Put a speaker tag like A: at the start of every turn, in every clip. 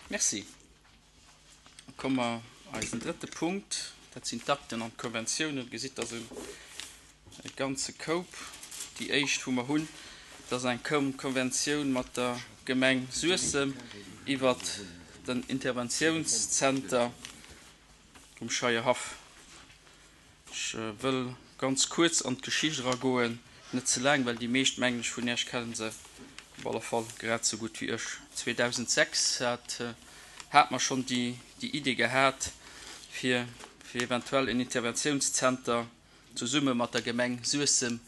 A: Merci. Da komme mer eisen drëtte Punkt, dat sinn d'Akten an d'Konventiounen. Dir gesitt, dat ass e ganze Koup. Déi éischt, wou mer hunn, dat ass eng Konventioun mat der Gemeng Suessem iwwert den Interventiounszenter um Scheierhaff. Ech wëll ganz kuerz an d'Geschicht eragoen, net ze laang, well déi meescht, mengen ech, vun Iech kenne se op alle Fall grad esou gutt wéi ech. 2006 hat hat mer schonn déi Idee gehat, fir fir eventuell en Interventiounszenter zesumme mat der Gemeng Suessem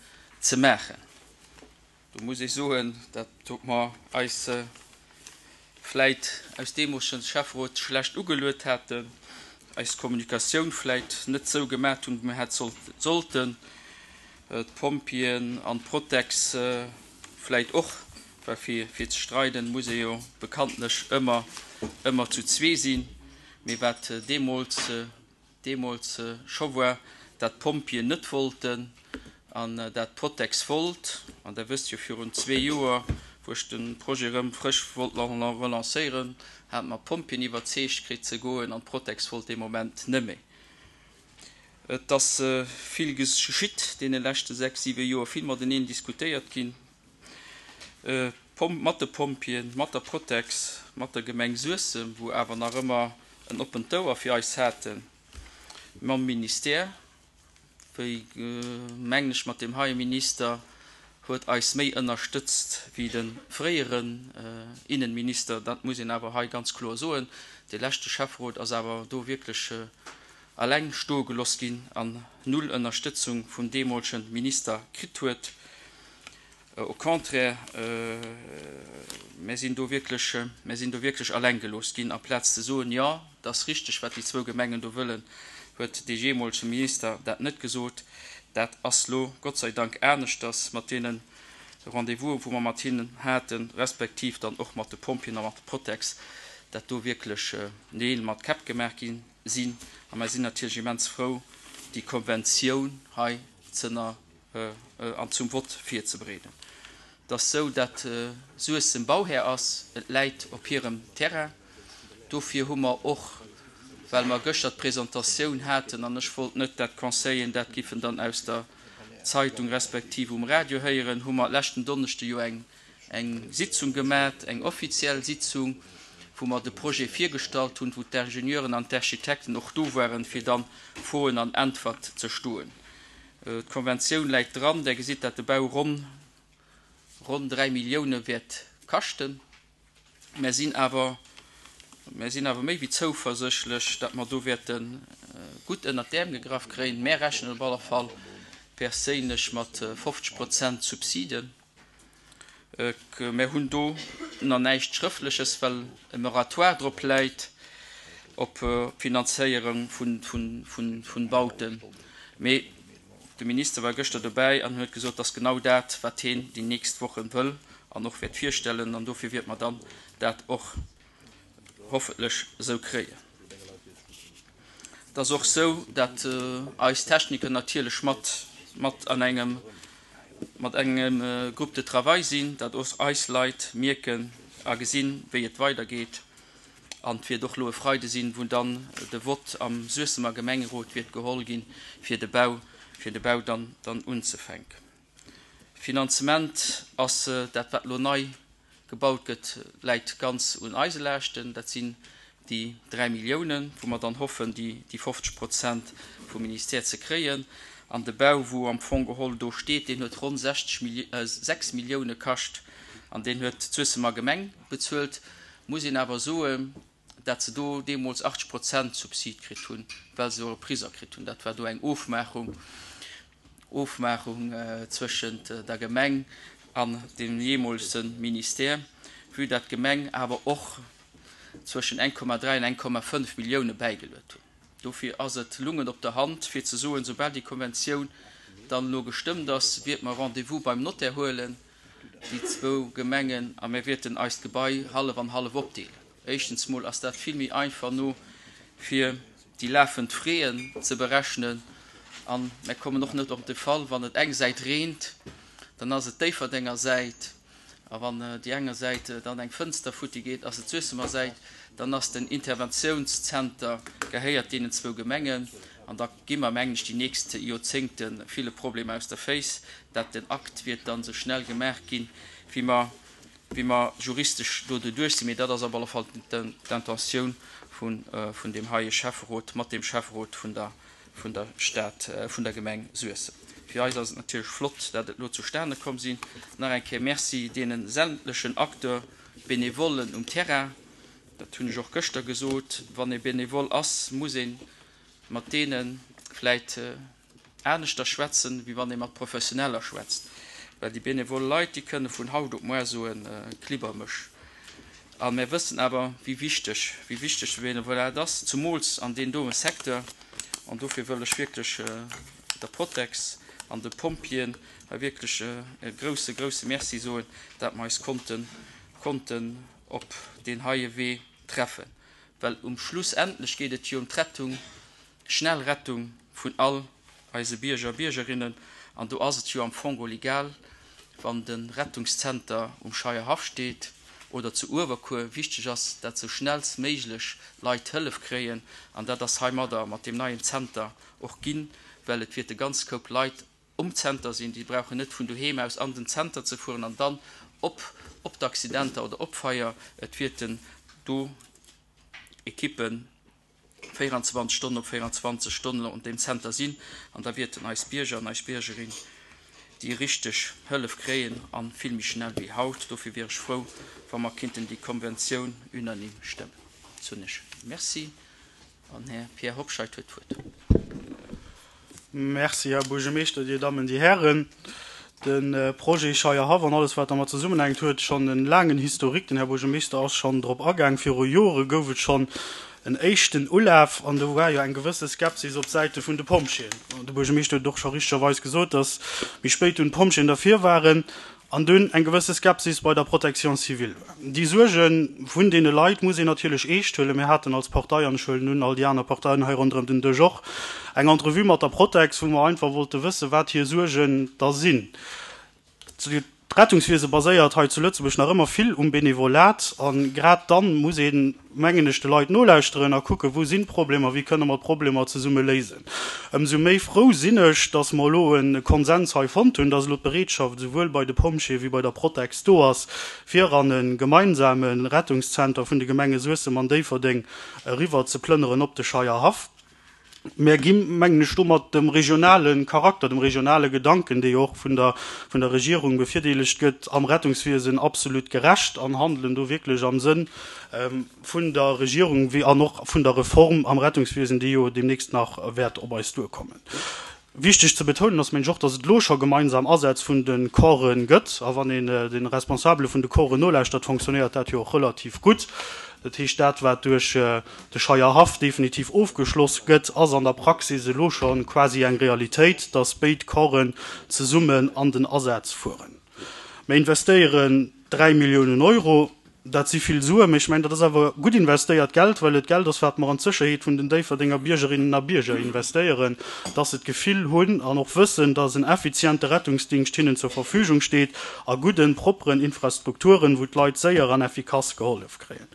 A: ze maachen. Do muss ech soen, dat huet mer eis vläit aus deemolegen Schäfferot schlecht ugeluet haten, eis Kommunikatioun vläit net esou gemat hunn, wéi mer hätt sollten, d'Pompjeeën an d'Protex vläit och, well fir ze streiden muss ee jo bekanntlech ëmmer ëmmer zu zwee sinn. Mee wat deemools deemools scho war, dat d'Pompjeeën net wollten an dat d'Protex wollt. An Der wësst jo, virun zwee Joer, wou ech de Projet erëm frësch wollt relancéieren, hate mer d'Pompjeeën iwwerzeegt kritt ze goen an d'Protex wollt dee Moment net méi. Et ass vill geschitt deene leschte sechs, siwe Joer, vill mateneen diskutéiert ginn, mat de Pompjeeën, mat der Protex, mat der Gemeng Suessem, wou awer nach ëmmer en oppent Ouer fir eis haten, mam Ministère, wéi, mengen ech, mat deem heie Minister huet eis méi ënnerstëtzt wéi de fréieren Innenminister. Dat muss een awer hei ganz kloer soen. Dee leschte Schäfferot ass awer do wierklech eleng stoe geloss ginn an null Ënnerstëtzung vum deemolege Minister kritt huet. Au contraire, mär sinn do wierklech, mär sinn do wierklech alleng gelooss ginn. Amplaz ze soen, jo, et ass richteg, wat déi zwou Gemengen do wëllen, huet dee jeemolege Minister dat net gesot. Dat ass lo Gott sei Dank aneschters mat deene Rendez-vous'en, wou mer mat hinnen haten, respektiv dann och mat de Pompjeeën a mat de Protex, dat do wierklech Neel mat Käpp gemaach gi sinn. A mer sinn natierlech immens frou, déi Konventioun hei z'ënner an zum Vott virzebereeden. Et ass sou, dat Suessem Bauhär ass, et läit op hirem Terrain. Dofir hu mer och, well mer gëschter d'Presentatioun haten an ech wollt net, dat d'Conseilleren dat giffen dann aus der Zeitung respektiv um Radio héieren, hu mer leschten Donneschde jo eng eng Sitzung gemat, eng offiziell Sitzung, wou mer de Projet virgestallt hunn, wou d'Ingenieuren an d'Architekten och do waren, fir dann Froen an Äntwert ze stoen. D'Konventioun läit dran. Der gesitt, dat de Bau ronn ronn 3 Millioune wäert kaschten. Mär sinn awer mär sinn awer méi wéi zouverséchlech, dat mer do wäerte gutt ënnert d'Äerm gegraff kréien. Mär rechnen op alle Fall perséinlech mat 50 Prozent Subsiden. Mär hunn do nach näischt Schrëftleches, well e Moratoire drop läit op d'Finanzéierung vun Bauten. Mee de Minister war gëschter dobäi an huet gesot, dass genau dat, wat heen déi nächst Wochen wëll an och wäert virstellen. An dofir wäert mer dann dat och hoffentlech esou kréien. Et ass och esou, datt eis Techniker natierlech mat mat an engem mat engem Groupe de travail sinn, datt och eis Leit mierken a gesinn, wéi et weidergeet. An et wäert och elo e Freide sinn, wou dann de Vott am Suessemer Gemengerot wäert geholl ginn, fir de Bau fir de Bau dann dann unzefänken. Finanzement ass dat, wat elo nei gebaut gëtt, läit ganz un eise Laaschten. Dat sinn déi 3 Milliounen, wou mer dann hoffen, déi 50 Prozent vum Ministère ze kréien. An de Bau, wou am Fong geholl do steet, deen huet ronn 6 Millioune kascht an deen huet d'Suessemer Gemeng bezuelt. Muss een awer soen, dat se do deemools 80 Prozent Subsid kritt hunn, well se Repriser kritt hunn. Dat war do eng Ofmaachung, Ofmaachung zwëschent der Gemeng an dem jeemoolse Ministère, vue dat d'Gemeng awer och zwëschen 1,3 an 1,5 Millioune bäigeluet hunn. Dofir ass et lungen op der Hand, fir ze soen, soubal déi Konventioun dann elo gestëmmt ass, wiert mer Rendez-vous beim Notaire huelen, déi zwou Gemengen, a mir wäerten eist Gebai hallef an hallef opdeelen. Éischtens mol ass dat vill méi einfach no fir déi lafend Fräen ze berechnen an mär kommen och net op de Fall, wann et eng Säit reent, dann ass et d'Déifferdenger Säit. A wann déi enger Säit dann eng Fënster futti geet, ass et d'Suessemer Säit. Dann ass den Interventiounszenter gehéiert deenen zwou Gemengen. An da gi mer, mengen ech, déi nächst Joerzéngte ville Problemer aus der Féiss. Dat den Akt wiert dann esou schnell gemaach ginn, wéi mer, wéi mer juristesch do doduerch sinn. Mee dat ass op alle Fall d'Intentioun vun, vun deem heie Schäfferot mat deem Schäfferot vun der, vun der Stad, vun der Gemeng Suessem. Fir eis ass et natierlech flott, dat et elo zustane komm sinn. Nach eng Kéier Merci deene sämtlechen Acteurs, Benevollen um Terrain. Dat hunn ech och gëschter gesot, Wann ee Benevole ass, muss ee mat deene vläit aneschter schwätzen, wéi wann ee mat Professioneller schwätzt. Well déi benevole Leit, déi kënne vun haut op muar soen, Klibber mech. A mär wëssen awer, wéi wichteg, wéi wichteg de Benevolat ass, zumools an deem doe Secteur. An dofir wëll ech wierklech der Protex an de Pompjeeën hei wierklech e grouse, grouse Merci soen, dat mer eis konnten, konnten op deen heie Wee treffen. Well um schlussendlech geet et jo ëm d'Rettung, schnell Rettung vun all eise Bierger a Biergerinnen. An do ass et jo am Fong och egal, wann de Rettungszenter um Scheierhaff steet oder zu Uewerkuer. Wichteg ass, dat sou schnellstméiglech Leit Hëllef kréien. An dat ass heimadder mat deem neien Zenter och ginn, well et wierte ganz Koup Leit um Zenter sinn, déi brauchen net vun doheem aus an den Zenter ze fueren an dann op op d'Accidenter oder op Feier. Et wierten do Ekippen 24 Stonnen op 24 Stonnen an deem Zenter sinn an da wierten eis Bierger an eis Biergerin déi richteg Hëllef kréien a vill méi schnell wéi haut. Dofir wier ech frou, wa mer kinnten déi Konventioun unanime stëmmen. Soen ech Merci. An Här Pierre Hobscheit huet d'Wuert.
B: Merci, Här Buergermeeschter, Dir Dammen, Dir Hären. De Projet Scheierhaff an alles, wat dermat zesummenhänkt, huet schonn e laangen Historique. Den Här Buergermeeschter ass schonn drop agaang. Viru Jore gouf et schonn en éischten Ulaf an do war jo eng gewësse Skepsis op Säite vun de Pompjeeën. De Buergermeeschter huet et och scho richtegerweis gesot, dass méi spéit dunn d'Pompjeeën derfir waren. An dunn eng gewësse Skepsis bei der Protection civile. Déi Suerge vun deene Leit muss een natierlech eescht huelen. Mir haten als Partei, an ech huelen un, all déi aner Parteien hei ronderëm den Dësch och, eng Entrevue mat der Protex, wou mer einfach wollte wëssen, wat hir Suergen da sinn. D'Rettungswiese baséiert hei zu Lëtzebuerg nach ëmmer vill um Benevolat. A grad dann muss een, mengen ech, de Leit nolauschteren a kucken, wou sinn d'Problemer, wéi kënne mer d'Problemer zesumme léisen. Ëmsou méi frou sinn ech, dass mer elo e Konsens hei fonnt hunn, dass elo d'Bereetschaft esouwuel bei de Pompjeeë wéi bei der Protex do ass, fir an e gemeinsame Rettungszenter vun de Gemenge Suessem an Déifferdeng eriwwer ze plënneren op de Scheierhaff. Mär gi, mengen ech, domat dem regionale Charakter, dem regionale Gedanken, dee jo och vun der vun der Regierung bevirdeelegt gëtt, am Rettungswiesen absolut gerecht an handelen do wierklech am Sënn vun der Regierung wéi an och vun der Reform am Rettungswiesen, déi jo deemnächst nach wäert op eis duerkommen. Wichteg ze betounen ass, mengen ech och, dass et elo scho gemeinsam Asätz vun de Corpse gëtt. A wann een de Responsabele vun de Corpsen nolauschtert, fonctionnéiert dat jo och relativ gutt. Dat heescht, dat, wat duerch de Scheierhaff definitiv ofgeschloss gëtt, ass an der Praxis elo scho quasi eng Realitéit, dass béid Corpsen zesummen an den Asaz fueren. Mir investéieren 3 Milliounen Euro. Dat si vill Suen, mee ech mengen, dat ass awer gutt investéiert Geld, well et Geld ass, wat mer an d'Sécherheet vun den Déifferdenger Biergerinnen a Bierger investéieren, dass se d'Gefill hunn an och wëssen, dass en effiziente Rettungsdingscht hinnen zur Verfügung steet a gudden, propperen Infrastrukturen, wou d'Leit séier an effikass gehollef kréien.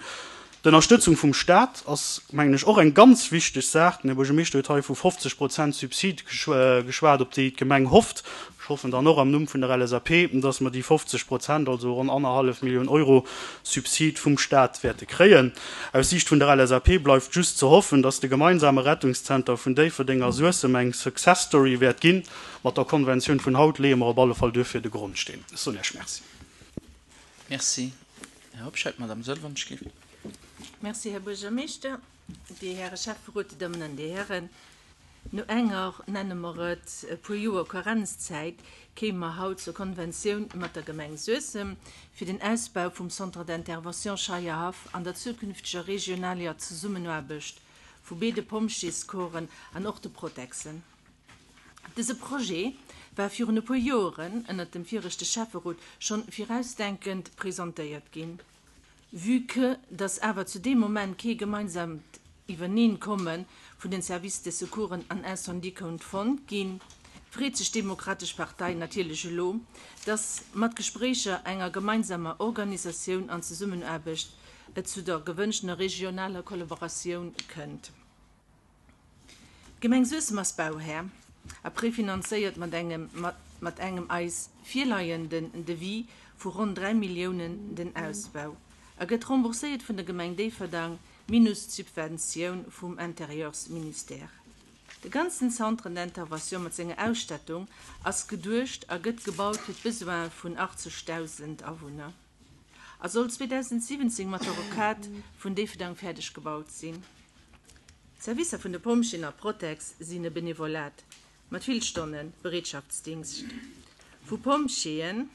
B: D'Ënnerstëtzung vum Staat ass, mengen ech, och eng ganz wichteg Saach. Den Här Buergermeeschter huet hei vu 50 Prozent Subsid geschwat, op déi d'Gemeng hofft. Ech hoffen dann och am Numm vun der LSAP, dass mer déi 50 Prozent, also ronn annerhallef Millioun Euro Subsid vum Staat wäerte kréien. Aus Siicht vun der LSAP bleift just ze hoffen, dass de gemeinsame Rettungszenter vun Déifferdeng a Suessem eng Success Story wäert ginn. Mat der Konventioun vun haut leeë mer op alle Fall duerfir de Grondsteen. Ech soen Iech Merci.
A: Merci. Här Hobscheit, Madame Sëlwernschiff.
C: Merci, Här Buergermeeschter, Dir Häre Schäfferot, Dir Dammen an Dir Hären. No enger, nenne mer et, e puer Joer Karenzzäit kéime mer haut zur Konventioun mat der Gemeng Suessem fir den Ausbau vum Centre d'intervention Scheierhaff an der zukünfteger regionalier Zesummenaarbecht vu béide Pompjeescorpsen an och de Protexen. Dëse Projet war virun e puer Joeren ënnert dem viregte Schäfferot schonn virausdenkend presentéiert ginn. Vue que dass awer zu deem Moment kee gemeinsamt Iwwerneenkomme vun den Services de Secoursen an Incendie konnt fonnt ginn. Freet sech d'Demokratesch Partei natierlech elo, dass mat Gespréicher, enger gemeinsamer Organisatioun an Zesummenaarbecht et zu der gewënschtener regionaler Kollaboratioun kënnt. D'Gemeng Suessem ass Bauhär a prefinanzéiert mat engem mat engem eis virleienden Devis vu ronn 3 Milliounen den Ausbau a gëtt rembourséiert vun der Gemeng Déifferdang minus d'Subventioun vum Intérieursministère. De ganzen Centre d'intervention mat senger Ausstattung ass geduecht a gëtt gebaut fir d'Besoine vun 80.000 Awunner a soll 2017 mat der Rocade vun Déifferdang fäerdeg gebaut sinn. D'Servicer vun de Pompjeeën a Protex sinn e Benevolat mat vill Stonne Bereetschaftsdingscht vu Pompjeeën.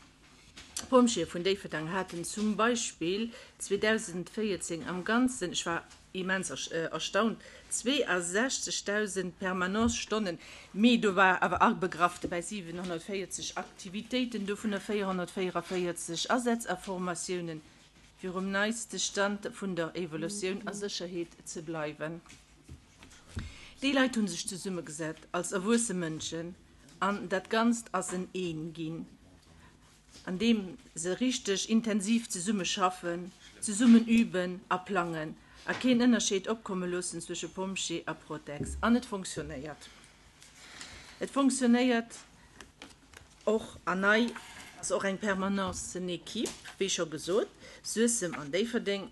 C: D'Pompjeeë vun Déifferdang haten zum Beispill 2014 am Ganzen, ech war immens erstaunt, 62.000 Permanence-Stonnen, mee do war awer abegraff dobäi 740 Aktivitéiten, dovunner 444 Asätz a Formatiounen, fir um neiste Stand vun der Evolutioun a Sécherheet ze bleiwen. Déi Leit hu sech zesummegesat als erwuesse Mënschen an dat Ganzt ass en Een ginn, an deem se richteg intensiv zesumme schaffen, zesummen üben a plangen a keen Ënnerscheed opkomme loossen zwësche Pompjee a Protex. An et fonctionnéiert. Et fonctionnéiert och an nei ass och eng Permanencen-Equipe, wéi scho gesot, Suessem an Déifferdeng.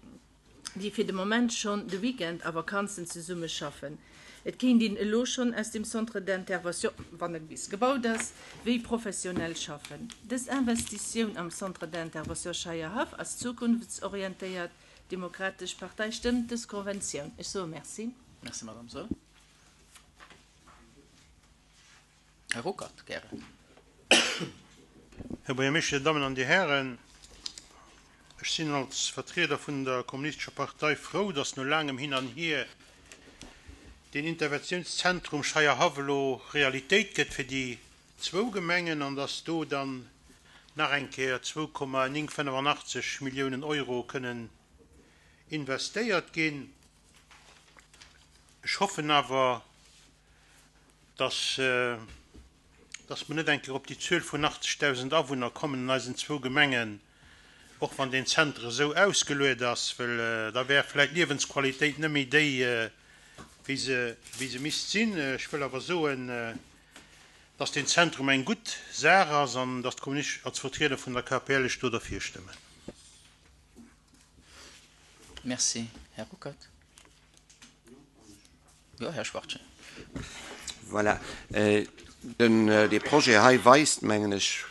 C: déi fir de Moment schonn de Weekend a Vakanzen zesumme schaffen. Et kéint een elo schonn aus dem Centre d'intervention, wann e bis gebaut ass, wéi professionell schaffen. Dës Investitioun am Centre d'intervention Scheierhaff ass zukunftsorientéiert. D'Demokratesch Partei stëmmt dës Konventioun. Ech soe Merci.
A: Merci, Madame Saeul. Här Ruckert, gären.
D: Här Buergermeeschter, Dir Dammen an Dir Hären, ech sinn als Vertrieder vun der Kommunistescher Partei frou, dass no laangem Hin an Hier deen Interventiounszentrum Scheierhaff elo Realitéit gëtt fir déi zwou Gemengen an dass do dann nach eng Kéier 2,985 Milliounen Euro kënnen investéiert ginn. Ech hoffen awer, dass, dass mer net eng Kéier op déi Zuel vun 80.000 Awunner kommen an eisen zwou Gemengen, och wann deen Zenter esou ausgeluet ass, well da wär vläicht d'Liewensqualitéit net méi déi, wéi se, wéi se misst sinn. Ech wëll awer soen, dass deen Zentrum eng gutt Saach ass an dass d'Kommunisten als Vertrieder vun der KPL ech do derfir stëmmen.
A: Merci, Här Ruckert. Jo, Här Schwachtgen.
E: Voilà. Den, dee Projet hei weist, mengen ech,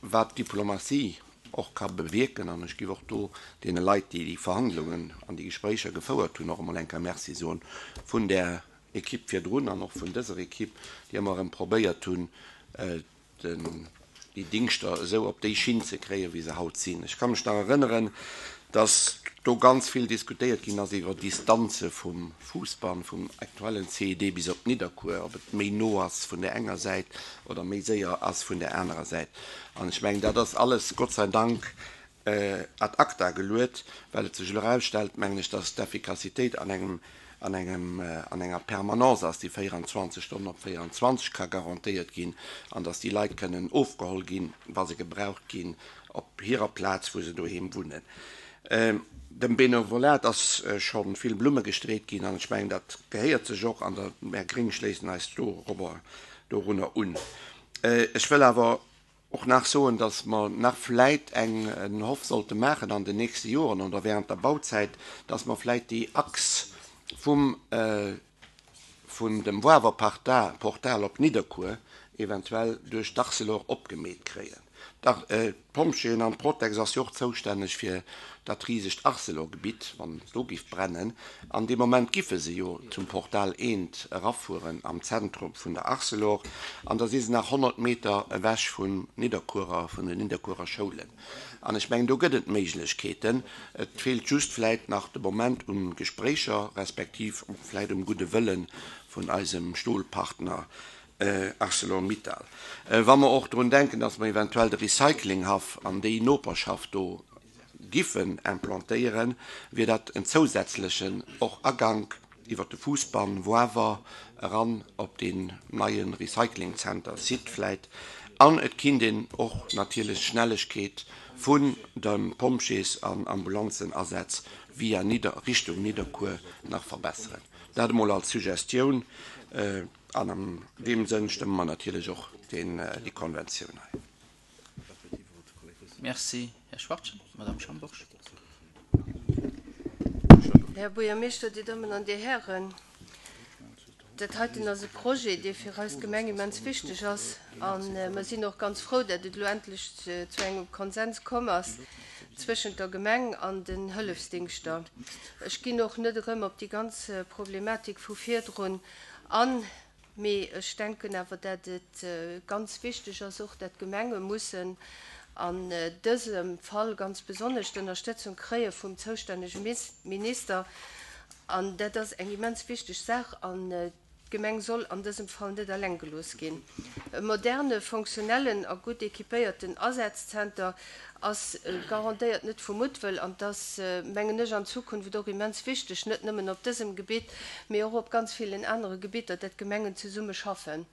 E: wat Diplomatie och ka bewierken. An ech géif och do deene Leit, déi déi Verhandlungen an déi Gespréicher gefouert hunn, och emol eng Kéier Merci soen, vun där Equipe virdrun an och vun dëser Equipe, déi ëmmer erëm probéiert hunn, déi Dingschter esou op déi Schinn ze kréien, wéi se haut sinn. Ech ka mech nach erënneren, dass do ganz vill diskutéiert ginn ass iwwer Distanze vum Fuussbann, vum aktuellen CED bis op Nidderkuer, ob et méi no ass vun där enger Säit oder méi séier ass vun där anerer Säit. An ech mengen, dat ass alles, Gott sei Dank, ad acta geluet, well et sech elo erausstellt, mengen ech, dass d'Effikassitéit an engem, an engem, an enger Permanence ass, déi 24 Stonnen op 24 ka garantéiert ginn, an dass déi Leit kënnen ofgeholl ginn, wa se gebraucht ginn, op hirer Plaz, wou se doheem wunnen. Dem Benevolat ass scho vill Blumme gestreet ginn, an ech mengen, dat gehéiert sech och, an der, mär Gréng schléissen eis dorobber, dorunner un. Ech wëll awer och nach soen, dass mer nach vläit eng en Hoff sollte maachen an den nächste Joren oder während der Bauzäit, dass mer vläit déi Achs vum vun dem Woawer Portal op Nidderkuer eventuell duerch d'Arcelor opgemeet kréien. D'Pompjeeën an d'Protex ass jo och zoustänneg fir dat risegt Arcelor-Gebitt, wann et do giff brennen. An dee Moment giffe se jo zum Portal eent erafueren am Zentrum vun der Arcelor an da si se nach 100 Meter ewech vum Nidderkuerer, vun den Nidderkuerer Schoulen. An ech mengen, do gëtt et Méiglechkeeten. Et feelt just vläit nach de Moment un Gespréicher, respektiv vläit um gudde Wëlle vun eisem Stolpartner Arcelor-Mittal. Wa mer och drun denken, dass mer eventuell de Recyclinghaff an déi Noperschaft do giffen implantéieren, wier dat en zousätzlechen och Agank iwwert de Fuussbann, Woawer. eran op deen neie Recyclingzenter Site vläit. An et kinnt een och natierlech d'Schnellegkeet vun de Pompjees an Ambulanzenasätz via Nidder Richtung Nidderkuer nach verbesseren. Dat emol als Suggestioun. An an deem Sënn stëmme mer natierlech och déi Konventioun hei.
A: Merci, Här Schwachtgen. Madame Schambourg.
F: Här Buergermeeschter, Dir Dammen an Dir Hären, dat heiten ass e Projet, dee fir eis Gemeng immens wichteg ass. A mer sinn och ganz frou, datt et elo endlech zu engem Konsens komm ass zwëschent der Gemeng an den Hëllefsdingschter. Ech ginn och net erëm op déi ganz Problematik vu virdrun an. Mee ech denken awer, dat et ganz wichteg ass och, dat d'Gemenge mussen an dësem Fall ganz besonnesch d'Ënnerstëtzung kréie vum zoustännege Minister. An dat ass eng immens wichteg Saach. An d'Gemeng soll an dësem Fall net eleng gelooss ginn. E moderne, fonctionnellen a gutt équipéierten Asazzenter ass garantéiert net vu Muttwëll an 't ass, mengen ech, an Zukunft och immens wichteg, net nëmmen op dësem Gebitt, mee och op ganz villen anere Gebitter, dat d'Gemengen zesumme schaffen.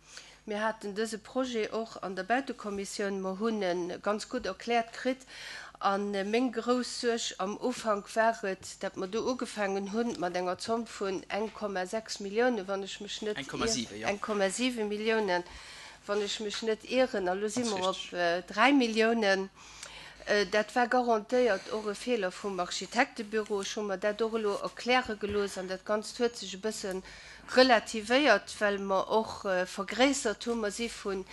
F: Mir haten dëse Projet och an der Bautekommissioun, mer hunn e ganz gutt erkläert kritt. A meng grouss Suerg am Ufank war et, dat mer do ugefaangen hu mat enger Zomm vun 1,6 Milliounen, wann ech mech net ier, 1,7 Milliounen, wann ech mech net ieren, a lo si mer op 3 Milliounen. Dat war garantéiert och e Feeler vum Architektebüro. Ech hu mer dat och elo erkläre gelooss an dat Ganzt huet sech e bësse relativéiert, well mer och vergréissert hunn. Mer si vun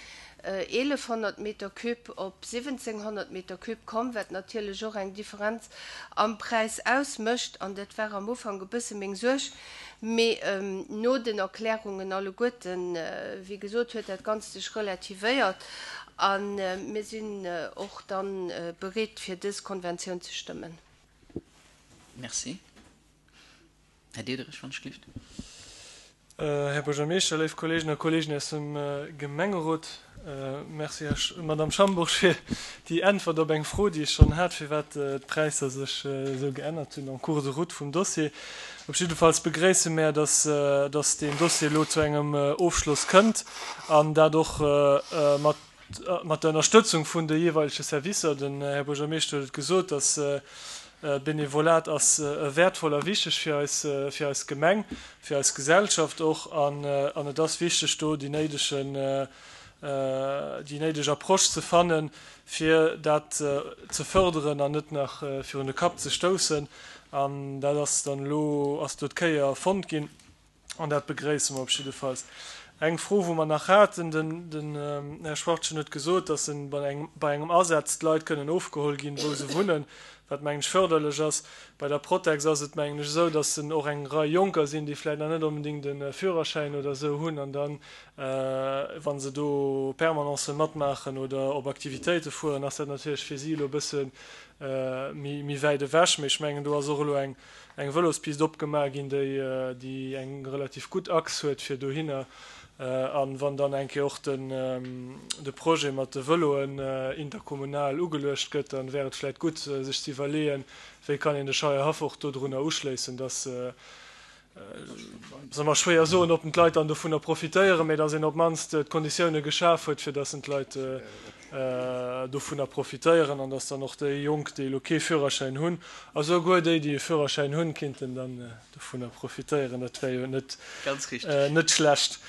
F: 1.100 Meter cube op 1.700 Meter cube komm, wat natierlech och eng Differenz am Präis ausmécht. An dat war am Ufank e bësse meng Suerg. Mee no den Erklärungen alleguerten, wéi gesot, huet dat Ganzt sech relativéiert a mir sinn och da bereet, fir dës Konventioun ze stëmmen.
A: Merci. Här Diederich, wann ech gelift.
G: Här Buergermeeschter, léif Kolleegen a Kolleegen aus dem Gemengerot, Merci, Här, Madame Schambourg, fir déi Äntwert op eng Fro, déi ech schonn hat, firwat d'Präisser sech esou geännert hunn en cours de route vum Dossier. Op jiddefalls begréisse mär, dass, dass deen Dossier elo zu engem Ofschloss kënnt an dat och mat, mat der Ënnerstëtzung vun de jeeweilege Servicer. Den Här Buergermeeschter huet et gesot, dass Benevolat ass wäertvoll a wichteg fir eis, fir eis Gemeng, fir eis Gesellschaft och. An, an et ass wichteg, do déi néidegen, déi néideg Approche ze fannen, fir dat ze förderen an net nach virun de Kapp ze stoussen. An dat ass dann elo, ass do d'Kéier fonnt ginn. An dat begréisse mer op jiddefalls. Eng Fro, wou mer nach haten, den, den Här Schwachtgen huet gesot, dass en bei engem, bei engem Asaz d'Leit kënnen ofgeholl ginn, wou se wunnen, wat, mengen ech, förderlech ass. Bei der Protex ass et, mengen ech, esou, dass en och eng Rei Jonker sinn, déi vläicht nach net onbedéngt e Führerschäin oder esou hunn an dann, wa se do Permanencë matmaachen oder op Aktivitéite fueren, ass dat natierlech fir si elo e bësse méi, méi wäit ewech. Mee ech mengen, do ass och elo eng, eng Vëlospist opgemaach ginn, déi déi eng relativ gutt Achs huet fir dohinner. An wann dann eng Kéier och den de Projet mat de Vëloen interkommunal ugeluecht gëtt, dann wär et vläit gutt sech ze iwwerleeën, wéi kann een de Scheierhaff och dodrunner uschléissen, dass Ass ëmmer schwéier soen, ob d'Leit dann dovunner profitéieren, mee datt een op d'mannst d'Konditioune geschaf huet, fir datt d'Leit dovunner profitéieren an datt dann och déi Jonk, déi elo kee Führerschäin hunn, a souguer déi, déi e Führerschäin hunn, kinnten dann dovunner profitéieren. Dat wär jo net schlecht.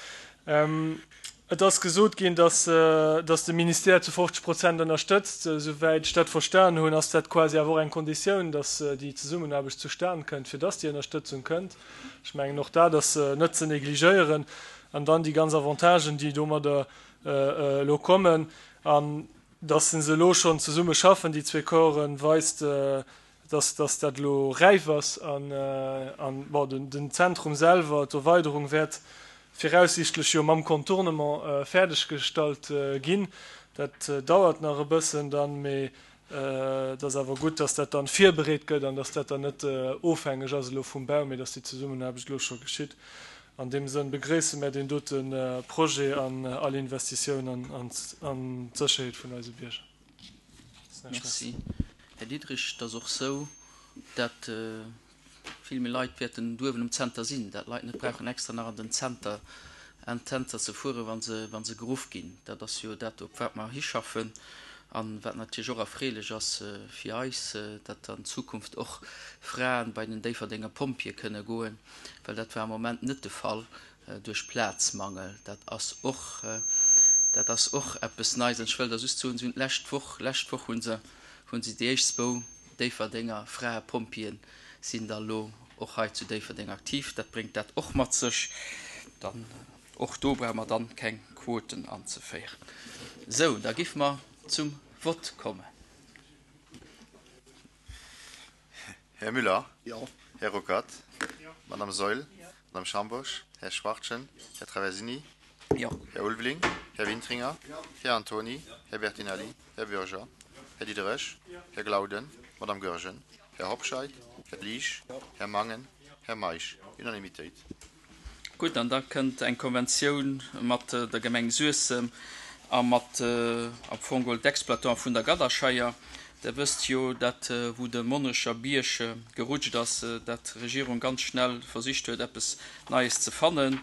G: Et ass gesot ginn, datt de Ministère zu 50 Prozent ënnerstëtzt. Esouwäit ech dat verstan hunn, ass dat quasi awer och eng Konditioun, datt déi Zesummenaarbecht zustan kënnt, fir datt déi Ënnerstëtzung kënnt. Ech mengen, och dat ass net ze negligéieren. An dann déi ganz Avantagen, déi domadder elo kommen. An datt se elo schonn zesumme schaffen, déi zwee Corpsen, weist, dass dass dat elo räif ass an an bon den den Zentrum selwer, d'Erweiderung wäert viraussiichtlech jo mam Contournement fäerdeg gestallt ginn. Dat dauert nach e bëssen dann, mee et ass awer gutt, dass dat dann virbereet gëtt an dass dat dann net ofhängeg ass elo vum Bau, mee dass déi Zesummenaarbecht elo scho geschitt. An deem Sënn begréisse mär deen dote Projet an all Investitioun an an d'Sécherheet vun eise Bierger.
A: Merci, Här Diderich. Et ass och sou, dat vill méi Leit wäerten uewen um Zenter sinn, dat d'Leit net brauchen extra nach an den Zenter. Intenter ze fueren, wa se, wa se geruff ginn. Dat ass jo dat, op wat mer hischaffen an wat natierlech och erfreelech ass fir eis, datt an Zukunft och Fraen bei den Déifferdenger Pompjeeë kënne goen, well dat war am Moment net de Fall duerch Plazmangel. Dat ass och, dat ass och eppes Neies. An ech wëll da just soen, si hunn d'lescht Woch, lescht Woch hu se, hu se déi éischt zwou Déifferdenger Fraepompjeeën sinn da lo och hei zu Déifferdeng aktiv. Dat bréngt dat och mat sech. Dann och do brauche mer dann keng Quoten anzeféieren. Sou, da giff mer zum Vott kommen.
H: Här Müller? Jo. Här Ruckert? Jo. Madame Saeul? Jo. Madame Schambourg? Här Schwachtgen? Här Traversini?
A: Jo.
H: Här Ulveling? Här Wintringer? Jo. Här Antony? Jo. Här Bertinelli? Här Bürger? Här Diderich? Här Glauden? Madame Goergen? Här Hobscheit? Här Liesch? Här Mangen? Här Meisch? Unanimitéit.
A: Gutt, an da kënnt eng Konventioun mat der Gemeng Suessem a mat am Fong geholl d'Exploitant vun der Gadderscheier. Der wësst jo, dat wou de Monnerecher Bierg gerutscht ass, dat d'Regierung ganz schnell versicht huet eppes Neies ze fannen.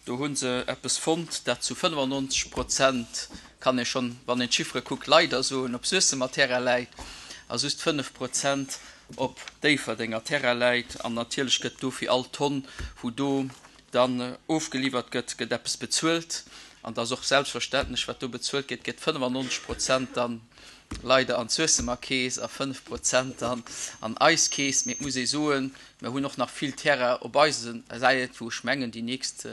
A: Do hu se eppes fonnt, dat zu 95 Prozent, kann ee schonn, wann een d'Chiffere kuckt, leider soen, op Suessemer Terrain läit a just 5 Prozent op Déifferdenger Terrain läit. An natierlech gëtt do fir all Tonn, wou do dann ofgeliwwert gëtt, gëtt eppes bezuelt. An et ass och selbstverständlech, wat do bezuelt gëtt, gëtt 95 Prozent dann leider an d'Suessemer Keess a 5 Prozent dann an eis Keess. Mee et muss ee soen, mir hunn och nach vill Terrain op eise Säit, wou ech mengen, déi nächst,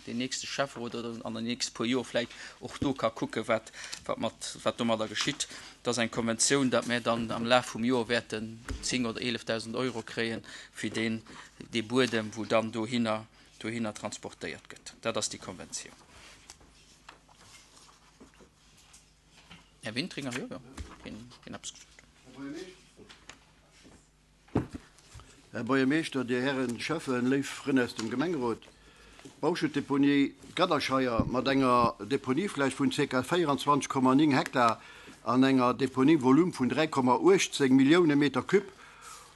A: deen nächste Schäfferot oder an den nächste puer Joer vläicht och do ka kucken, wat, wat mat, wat domadder geschitt. Et ass eng Konventioun, datt mir dann am Laf vum Joer wäerten 10 oder 11.000 Euro kréie fir deen, dee Buedem, wou dann dohinner, dohinner transportéiert gëtt. Dat ass déi Konventioun. Här Wintringer, jo, jo, hien, hien eppes gesot.
I: Här Buergermeeschter, Dir Hären Schäffen, léif Frënn aus dem Gemengerot, D'Bauschuttdeponie Gadderscheier mat enger Deponiefläch vun ca. 24,9 Hektar an enger Deponievolume vun 3,18 Millioune Meter Cube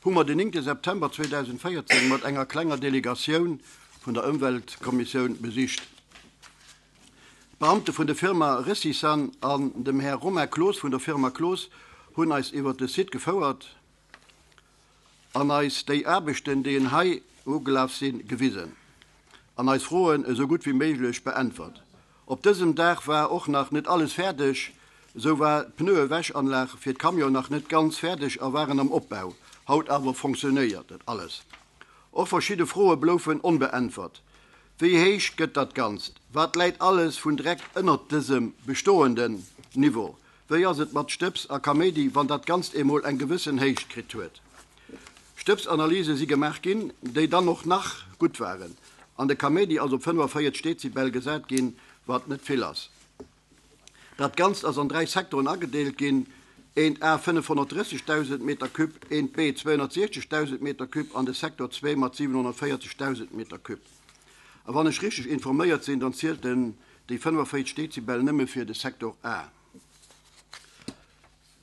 I: hu mer den 9 September 2014 mat enger klenger Delegatioun vun der Ëmweltkommissioun besicht. D'Beamte vun der Firma Recisan an dem Här Romain Cloos vun der Firma Cloos hunn eis iwwert de Site gefouert an eis déi Aarbechten, déi en hei ugelaf sinn, gewisen an eis Froen esou gutt wéi méiglech beäntwert. Op dësem Dag war och nach net alles fäerdeg, esou war d'Pneuewäschanlag fir d'Camion nach net ganz fäerdeg a waren am Opbau. Haut awer fonctionnéiert et alles. Och verschidde Froe bloufen onbeäntwert. Wéi héich gëtt dat Ganzt? Wat läit alles vun Dreck ënnert dësem bestoenden Niveau? Wéi ass et mat Stëbs a Kaméidi, wann dat Ganzt emol eng gewëssen Héicht kritt huet? Stëbsanalyse si gemaach ginn, déi dann och nach gutt waren, an de Kaméidi ass op 45 Dezibel gesat ginn, wat net vill ass. Dat Ganzt ass an 3 Sektoren agedeelt ginn, eent A 530.000 Meter Cube, eent B 260.000 Meter Cube an de Sektor 2 mat 740.000 Meter Cube. A wann ech richteg informéiert sinn, dann zielt den déi 45 Dezibel nëmme fir de Sektor A.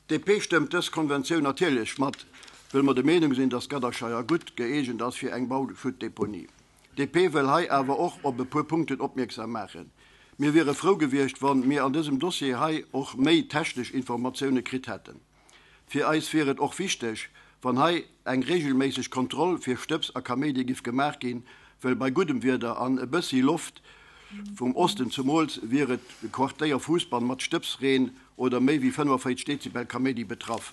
I: D'DP stëmmt dës Konventioun natierlech mat, wëll mer der Meenung sinn, dass d'Gadderscheier gutt gëeegent ass fir eng Bauschuttdeponie. D'DP wëll hei awer och op e puer Punkten opmierksam maachen. Mir wiere frou gewiescht, wann mir an dësem Dossier hei och méi technesch Informatioune kritt hätten. Fir eis wier et och wichteg, wann hei eng regelméisseg Kontroll fir Stëbs a Kaméidi giff gemaach ginn, wëll bei guddem Wieder an e bëssi Loft vum Osten zumools wier et Quartéier Fuussbann mat Stëbsreen oder méi wéi 45 Dezibel Kaméidi betraff.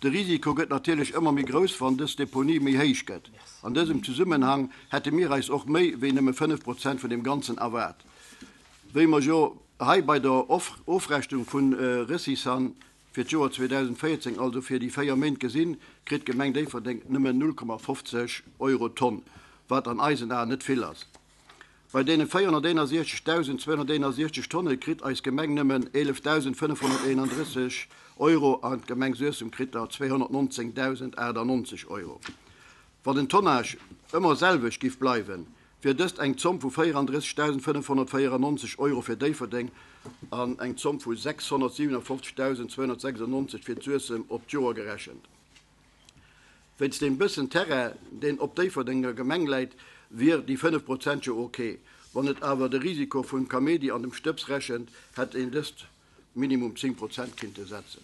I: De Risiko gëtt natierlech ëmmer méi grouss, wann dës Deponie méi héich gëtt. An dësem Zesummenhang hätte mir eis och méi wéi nëmme 5 Prozent vun deem Ganzen erwaart. Wéi mer jo hei bei der Ofrechnung vu Recisan fir d'Joer 2014, also fir déi 4 Méint gesinn, kritt d'Gemeng Déifferdeng nëmmen 0,50 Euro d'Tonn, wat an eisen Aen net vill ass. Bei deene 461.261 Tonne kritt eis Gemeng nëmmen 11.531 Euro an d'Gemeng Suessem kritt der 219.098 Euro. Wann den Tonnage ëmmer selwecht giff bleiwen, wier dëst eng Zomm vu 34.594 Euro fir Déifferdeng an eng Zomm vu 657.296 fir d'Suessem op d'Joer gerechent. Wéinst deem bëssen Terrain, deen op Déifferdenger Gemeng läit, wier déi 5 Prozent jo ok. Wann et awer de Risiko vum Kaméidi an dem Stëbs rechent, hätt een dëst minimum 10 Prozent kinnte setzen.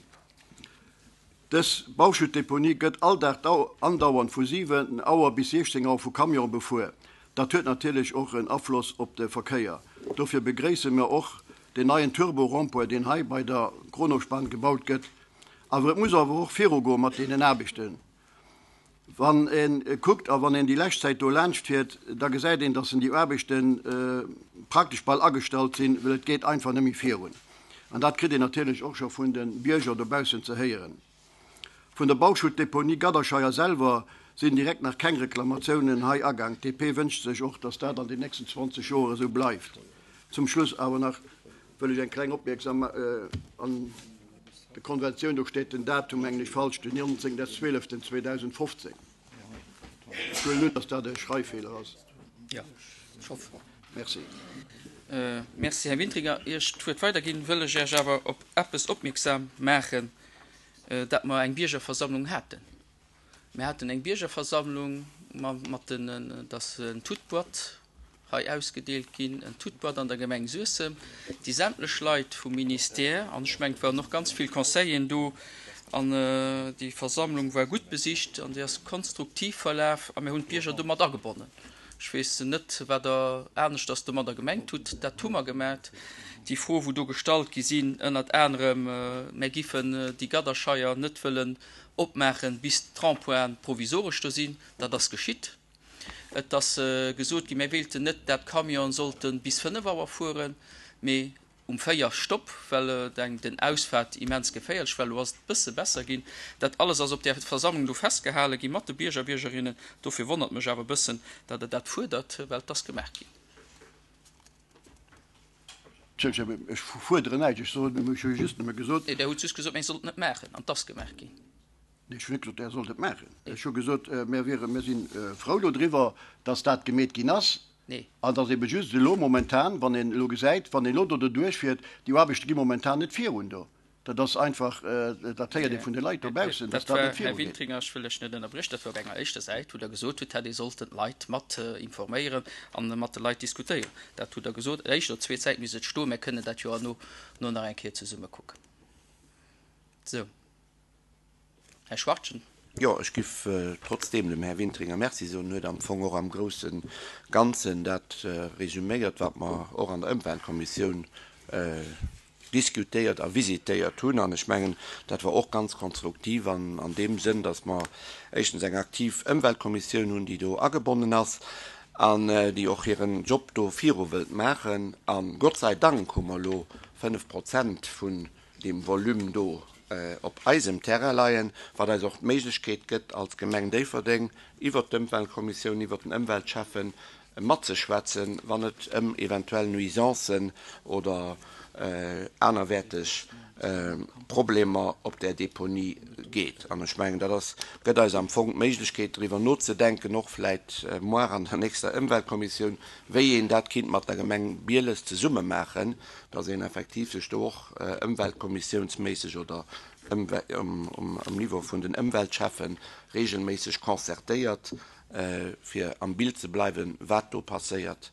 I: Dës Bauschuttdeponie gëtt all Dag andauernd vu 7 Auer bis 16 Auer vu Camionen befuer. Dat huet natierlech och en Afloss op de Verkéier. Dofir begréisse mer och deen neien Turbo-Rond-point, deen hei bei der Kronospan gebaut gëtt. Awer et muss awer och virugoe mat deenen Aarbechten. Wann ee kuckt a wann een déi lescht Zäit do laanscht fiert, da gesäit een, dass déi Aarbechte praktesch bal agestallt sinn, well et geet einfach net méi virun. An dat kritt een natierlech och scho vun de Bierger dobaussen ze héieren. Vun der Bauschuttdeponie Gadderscheier selwer sinn direkt nach keng Reklamatiounen hei agaang. D'DP wënscht sech och, dass dat an den nächsten 20 Joer esou bleift. Zum Schluss awer nach wëll ech eng kleng Opmierksam an der Konventioun, do steet den Datum, mengen ech, falsch, den 19.12.2015. Ech huelen un, dass dat e Schreiffeeler ass.
A: Jo, ech hoffen.
I: Merci.
A: Merci, Här Wintringer. Ier ech d'Wuert weiderginn, wëll ech Iech awer op eppes opmierksam maachen, dat mer eng Biergerversammlung haten. Mir haten eng Biergerversammlung mat den, dass en toute boîte hei ausgedeelt ginn, en toute boîte an der Gemeng Suessem, déi sämtlech Leit vum Ministère, an ech mengen, et waren och ganz vill Conseilleren do, an déi Versammlung war gutt besicht an déi ass konstruktiv verlaf a mir hunn d'Bierger do mat agebonnen. Ech weess net, wat Der aneschters domadder gemengt hutt. Dat hu mer gemat. Déi Fro, wou do gestallt gi sinn, ënnert anerem, mär giffen déi Gadderscheier net wëllen opmaachen, bis d'Rempointen provisoresch do sinn, dat ass geschitt. Et ass gesot ginn, mir wéilten net, dat d'Camionen sollte bis 5 Auer fueren, mee um 4 Stopp, well den Ausfahrt immens geféierlech war. Elo ass et e bësse besser ginn. Dat alles ass op där Versammlung do festgehale gi mat de Bierger, Biergerinnen. Dofir wonnert mech awer e bëssen, datt Der dat fuerdert, well et ass gemaach ginn.
I: Ech fuerderen näischt, ech soen, ech hu just nëmme gesot.
A: Nee, Der hutt just gesot, mir sollten et maachen, an et ass gemaach ginn.
I: Nee, ech hunn net gesot, Der sollt et maachen. Ech hu gesot, mir wieren, mir si frou dodriwwer, datt dat gemeet ginn ass.
A: Nee.
I: An datt ebe just elo momentan, wann een elo gesäit, wann een elo do doduerchfiert, déi Aarbechte gi momentan net virun do. Dat ass einfach, dat héiert ee vun de Leit dobaussen, datt
A: Dat
I: dat
A: war,
I: net
A: Här
I: virugeet.
A: Wintringer, ech wëll lech net ënnerbriechen, dat war op enger éischter Säit, wou Der gesot hutt, hätt ee sollten d'Leit mat informéieren a mat de Leit diskutéieren. Dat hutt Der gesot. Éischt oder zweet Säit misst et stoen. Mir kënnen dat jo herno no nach eng Kéier zesumme kucken. Sou. Här Schwachtgen.
E: Jo, ech giff trotzdeem dem Här Wintringer Merci soen. En huet am Fong och am grousse Ganzen dat resüméiert, wat mer och an der Ëmweltkommissioun diskutéiert a visitéiert hunn. An ech mengen, dat war och ganz konstruktiv an an deem Sënn, datt mer éischtens eng aktiv Ëmweltkommissioun hunn, déi do agebonnen ass an déi och hiren Job do viru wëllt maachen. A Gott sei Dank hu mer elo 5 Prozent vun deem Volume do op eisem Terrain leien, wat eis och d'Méiglechkeet gëtt, als Gemeng Déifferdeng iwwert d'Ëmweltkommissioun, iwwert den Ëmweltschäffen matzeschwätzen, wann et ëm eventuell Nuisancen oder anerwäerteg Problemer op där Deponie geet. An ech mengen, dat ass, gëtt eis am Fong d'Méiglechkeet, driwwer nozedenken, och vläicht moar an der nächster Ëmweltkommissioun, wéi een dat kinnt mat der Gemeng Bieles zesumme maachen, dass een effektiv sech do och ëmweltkommissiounsméisseg oder um Niveau vun den Ëmweltschäffe regelméisseg concertéiert, fir am Bild ze bleiwen, wat do passéiert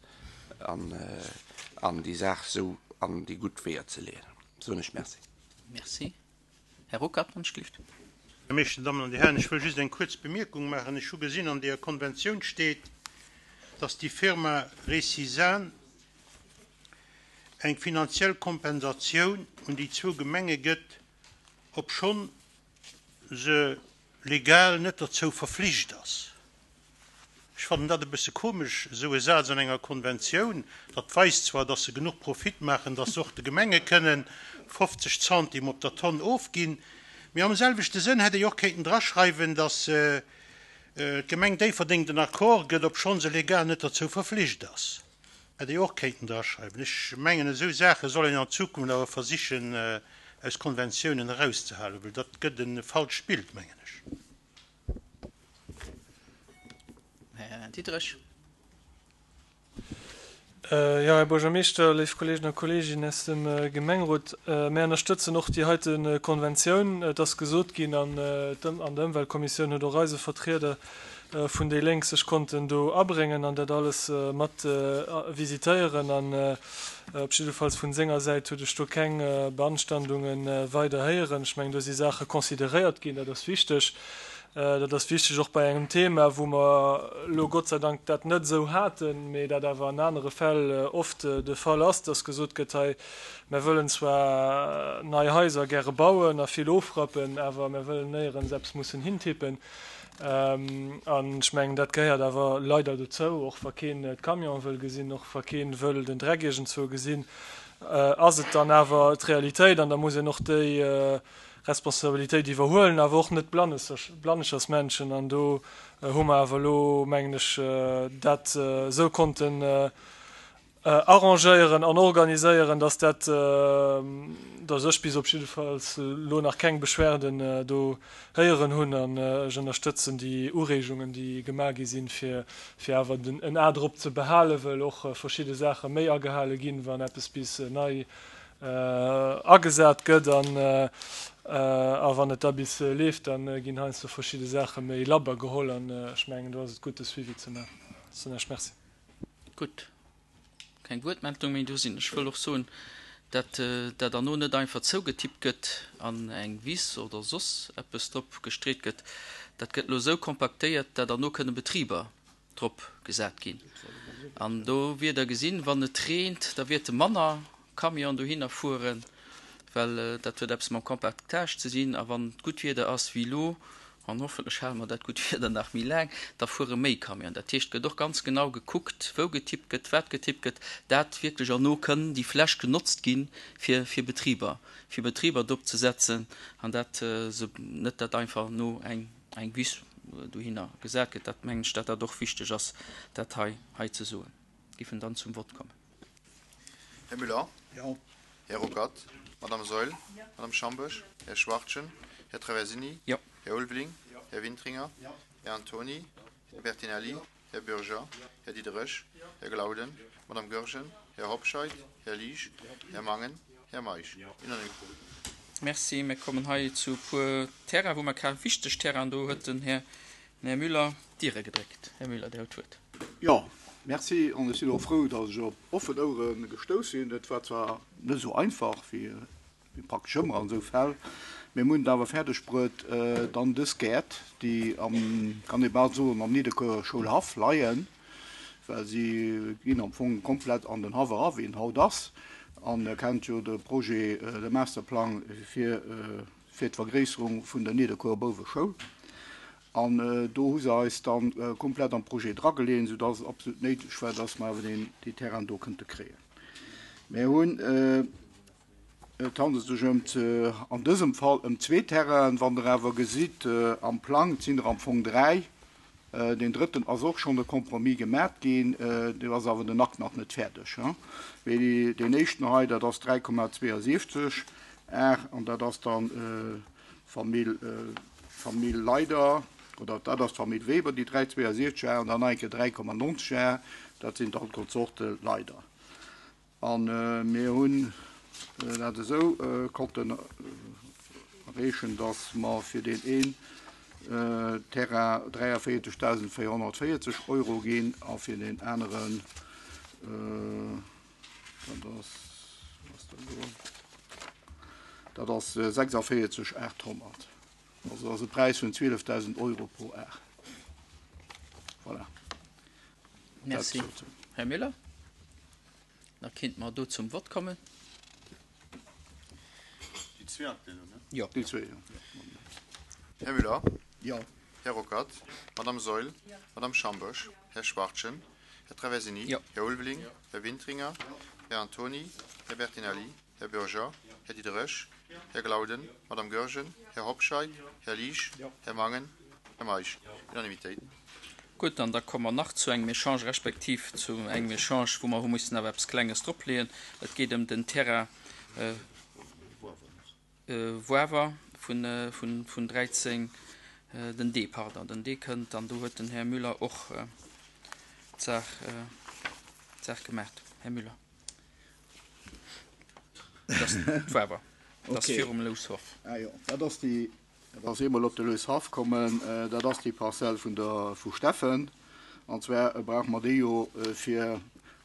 E: an déi Saach esou an déi gutt Weeër ze leeën. Soen ech Merci.
A: Merci. Här Ruckert, wann ech gelift.
D: Här Meeschter, Dammen an Dir Hären, ech wëll just eng kuerz Bemierkung maachen. Ech hu gesinn, an deeër Konventioun steet, dass déi Firma Récisan eng finanziell Kompensatioun un déi zwou Gemenge gëtt, obschonn se legal net derzou verflicht ass. Ech fannen dat e bësse komesch, esou e Saz an enger Konventioun. Dat weist zwar, dass se genuch Profit maachen, dass se och de Gemenge kënnen 50 Centime op der Tonn ofginn, mee am selwechte Sënn hätt ee jo och kéinten draschreiwen, dass d'Gemeng Déifferdeng den Accord gëtt, obschonn se legal net derzou verflicht ass. Hätt ee jo och kéinten draschreiwen. Ech mengen, esou Saache soll een an Zukunft awer versichen aus Konventiounen erauszehalen, well dat gëtt e falscht Bild, mengen ech.
A: Här Diderich.
G: Jo, Här Buergermeeschter, léif Kolleegen a Kolleeginnen aus dem Gemengerot, mär ënnerstëtzen och déi heite Konventioun. Et ass gesot ginn, an der Ëmweltkommissioun huet och eise Vertrieder. vun déi Lénk sech konnten do abréngen an dat alles mat visitéieren. An op jiddefalls vun senger Säit huet ech do keng Beanstandunge weider héieren. Ech mengen, do si Saache consideréiert ginn, dat ass wichteg. Dat ass wichteg och bei engem Thema, wou mer elo Gott sei Dank dat net esou haten, mee dat awer an anere Fäll oft de Fall ass, dass gesot gëtt, hei, mär wëllen zwar nei Haiser gäre bauen a vill ofrappen, awer mär wëllen néierens eppes mussen hintippen. An ech mengen, dat gehéiert awer leider dozou, och wa keen d'Camionen wëll gesinn, och wa keen wëll den Dreck iergendzwou gesinn, ass et dann awer d'Realitéit an da muss een och déi Responsabilitéit iwwerhuelen, awer och net Blannechersmännchen. An do hu mer awer elo, mengen ech, dat esou konnten arrangéieren an organiséieren, dass dat, dass ech bis op jiddefalls elo nach keng Beschwerden do héieren hunn. An ech ënnerstëtzen déi Ureegungen, déi gemaach gi sinn, fir awer en A drop ze behalen, well och verschidde Saache méi agehale ginn, wann eppes bis nei agesat gëtt an a wann et da bis leeft, da ginn heiansdo verschidde Saache méi labber geholl an ech mengen do ass et gutt de Suivi ze maachen. Soen ech Merci.
A: Gutt, keng Wuertmeldung méi do sinn. Ech wëll och soen, dat dat erno net einfach zougetippt gëtt an eng Wiss oder soss eppes drop gestreet gëtt. Dat gëtt elo esou kompaktéiert, dat erno kënne Betriber drop gesat ginn. An do wier Der gesinn, wann et reent, da wäerte manner Camionen dohinner fueren, well dat huet eppes mam Compactage ze dinn. A wann et gutt Wieder ass wéi elo, an hoffentlech hale mer dat gutt Wieder nach méi laang, da fuere méi Camionen. Dat heescht, et gëtt och ganz genau gekuckt, wou getippt gëtt, wat getippt gëtt, dat wierklech erno kënn déi Fläch genotzt gi fir fir Betriber, fir Betriber drop ze setzen an dat se net dat einfach no eng eng Wiss dohinner gesat gëtt, dat mengen ech, dat dat och wichteg ass, dat hei hei ze soen. Giffen dann zum Vott kommen.
H: Här Müller?
I: Jo.
H: Här Ruckert? Madame Saeul? Madame Schambourg? Här Schwachtgen? Här Traversini?
A: Jo.
H: Här Ulveling? Här Wintringer? Här Antony? Här Bertinelli? Här Bürger? Här Diderich? Här Glauden? Madame Goergen? Här Hobscheit? Här Liesch? Här Mangen? Här Meisch. Unanimitéit.
A: Merci. Mir kommen hei zu e puer Terrainen, wou mer ka wichteg Terrainen, do huet den Här Müller d'Diere gedréckt. Här Müller, Dir hutt d'Wuert.
J: Jo, merci. An ech sinn och frou, datt ech op offen Ouere gestouss sinn. Et war zwar net esou einfach wéi praktesch ëmmer an esou Fäll, mee mir hunn et awer fäerdeg bruet, dann dës Gäert, déi am, kann ee bal soen, am Nidderkuerer Schoulhaff leien, well si ginn am Fong komplett an den Haff era wéi en haut ass. An Der kennt jo de Projet, de Masterplang fir fir d'Vergréisserung vun der Nidderkuerer Bouweschoul. An do hu se eis da komplett am Projet drageleeën, soudass et absolut néideg war, dass mer awer deen dee Terrain do kënnte kréien. Mir hunn, et handelt sech ëm an dësem Fall ëm zwee Terrainen. Wann Der awer gesitt am Plang, et sinn der am Fong dräi, Deen drëtten ass och schonn e Compromis gemat ginn, do ass awer den Akt nach net fäerdeg. Mee deen éischten hei, dat ass 3,72 Ar an dat ass dann d'Famill, d'Famill Leider, oder dat ass d'Famill Weber, déi 3,72 Ar an dann nach eng Kéier 3,90 Ar, dat sinn dann d'Konsorte Leider. A mir hunn dat esou konnten erreechen, datt mer fir deen een Terrain 43.440 Euro ginn a fir deen aneren, dat ass, wat ass dat elo, dat ass 46.800. Also dat ass e Präis vun 12.000 Euro pro Ar. Voilà.
A: Merci, Här Müller. Da kinnt mer do zum Vott kommen.
H: Déi zwee aktuell, ne?
A: Jo.
J: Déi zwee, jo.
H: Här Müller?
I: Jo.
H: Här Ruckert? Madame Saeul? Madame Schambourg? Här Schwachtgen? Här Traversini?
A: Jo.
H: Här Ulveling? Här Wintringer? Här Antony? Här Bertinelli? Här Bürger? Här Diderich? Här Glauden? Madame Goergen? Här Hobscheit? Här Liesch? Här Mangen? Här Meisch? Unanimitéit.
A: Gutt, an da komme mer nach zu engem Echange, respektiv zu engem Echange, wou mer hu mussen awer eppes Klenges dropleeën. Et geet ëm den Terrain Woawer vun 13, den D, pardon, den D kënnt, an do huet den Här Müller och d'Saach gemaach. Här Müller. Dat ass d'Woawer, dat ass virum Loushoff.
J: Ah jo, dat ass déi. Dat ass eemol op de Loushaff kommen, dat ass déi Parzell vun der vu Steffen. An zwar brauche mer déi jo fir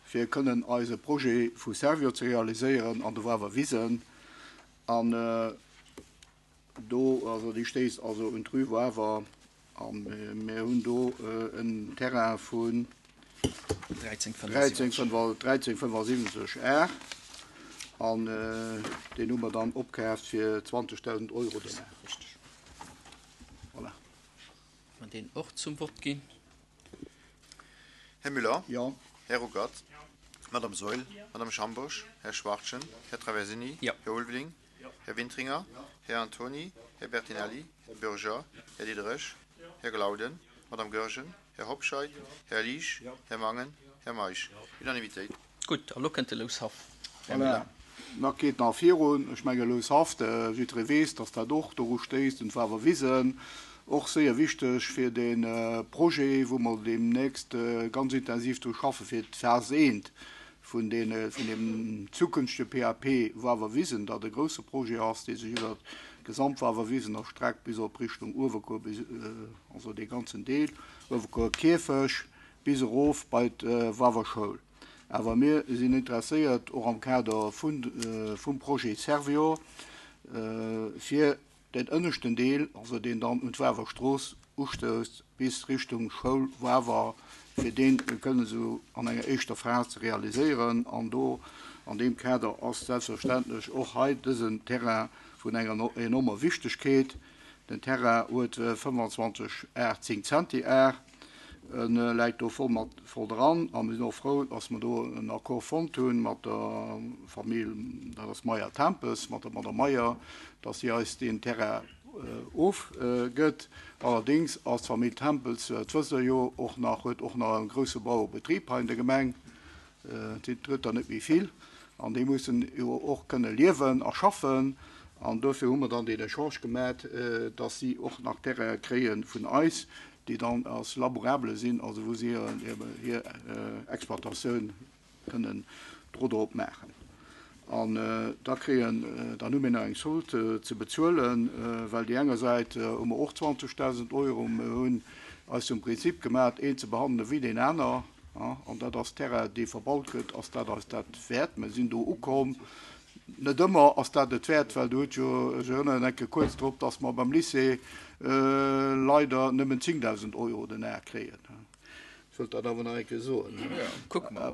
J: fir kënnen eise Projet vu Servior ze realiséieren an de Wawer Wisen. An do, also déi stéisst also un d'Rue Wawer a mir hunn do en Terrain vun 13,75 Ar an deen hu mer dann opkaaft fir 20.000 Euro den Ar. Voilà.
A: Mer deen och zum Vott ginn.
H: Här Müller?
J: Jo.
H: Här Ruckert? Madame Saeul? Madame Schambourg? Här Schwachtgen? Här Traversini?
A: Jo.
H: Här Ulveling? Här Wintringer? Här Antony? Här Bertinelli? Här Bürger? Här Diderich? Här Glauden? Madame Goergen? Här Hobscheit? Här Liesch? Här Mangen? Här Meisch? Unanimitéit.
A: Gutt, a lo kënnt de Loushaff,
J: Här Müller. Voilà, da geet nach virun. Ech menge Loushaff, jiddweree weess, dass dat och doru stéisst, un d'Wawerwisen. Och séier wichteg fir dee Projet, wou mer deemnächst ganz intensiv dru schaffen, fir d'Phas I vun deem zukünftege PAP Wawerwisen, dat e grousse Projet ass, dee sech iwwert d'gesamt Wawerwisen erstreckt bis op Richtung Uewerkuer, also dee ganzen Deel Uewerkuer Kierfech bis erof bei d'Wawer Schoul. Awer mir sinn interesséiert, och am Kader vum Projet Servior, fir Den ënneschten Deel, also deen dann un d'Wawer Strooss ustousst bis Richtung Schoul Wawer, fir deen kënnen esou an enger éischter Phas ze realiséieren. An do an deem Kader ass selbstverständlech och hei dësen Terrain vun enger enormer Wichtegkeet. Den Terrain huet 25 Ar 10 Zenti Ar. E läit do voll mat voll dran a mir sinn och frou, dass mer do en Accord fonnt hu mat der Famill, dat ass Meyer-Tempes, mat der Madame Meyer, dass si eis deen Terrain ofgëtt. Allerdéngs ass d'Famill Tempels, dat wësst Der jo, och nach, huet och nach e grousse Bauerebetrib hei an der Gemeng. Et sinn der net méi vill an déi mussen jo och kënne liewen a schaffen. An dofir hu mer dann deen Echange gemat, dass si och nach Terraine kréie vun eis, déi dann als labourable sinn, also wou si hir Exploitatioun kënnen dro drop maachen. An da kréien, dann hu mir nach eng Sold ze bezuelen, well déi enger Säit hu mer och 20.000 Euro. Mir hunn eis zum Prinzip gemat, een ze behandele wéi deen aner. An dat ass Terrain, dee verbaut gëtt, ass dat eis dat wäert. Mir sinn do ukomm. Net ëmmer ass dat et wäert, well do huet jo, ech erënneren eng Kéier kuerz drop, dass mer beim Lycée leider nëmmen 10.000 Euro den Ar kréien. Ech wëllt dat awer nach eng Kéier soen.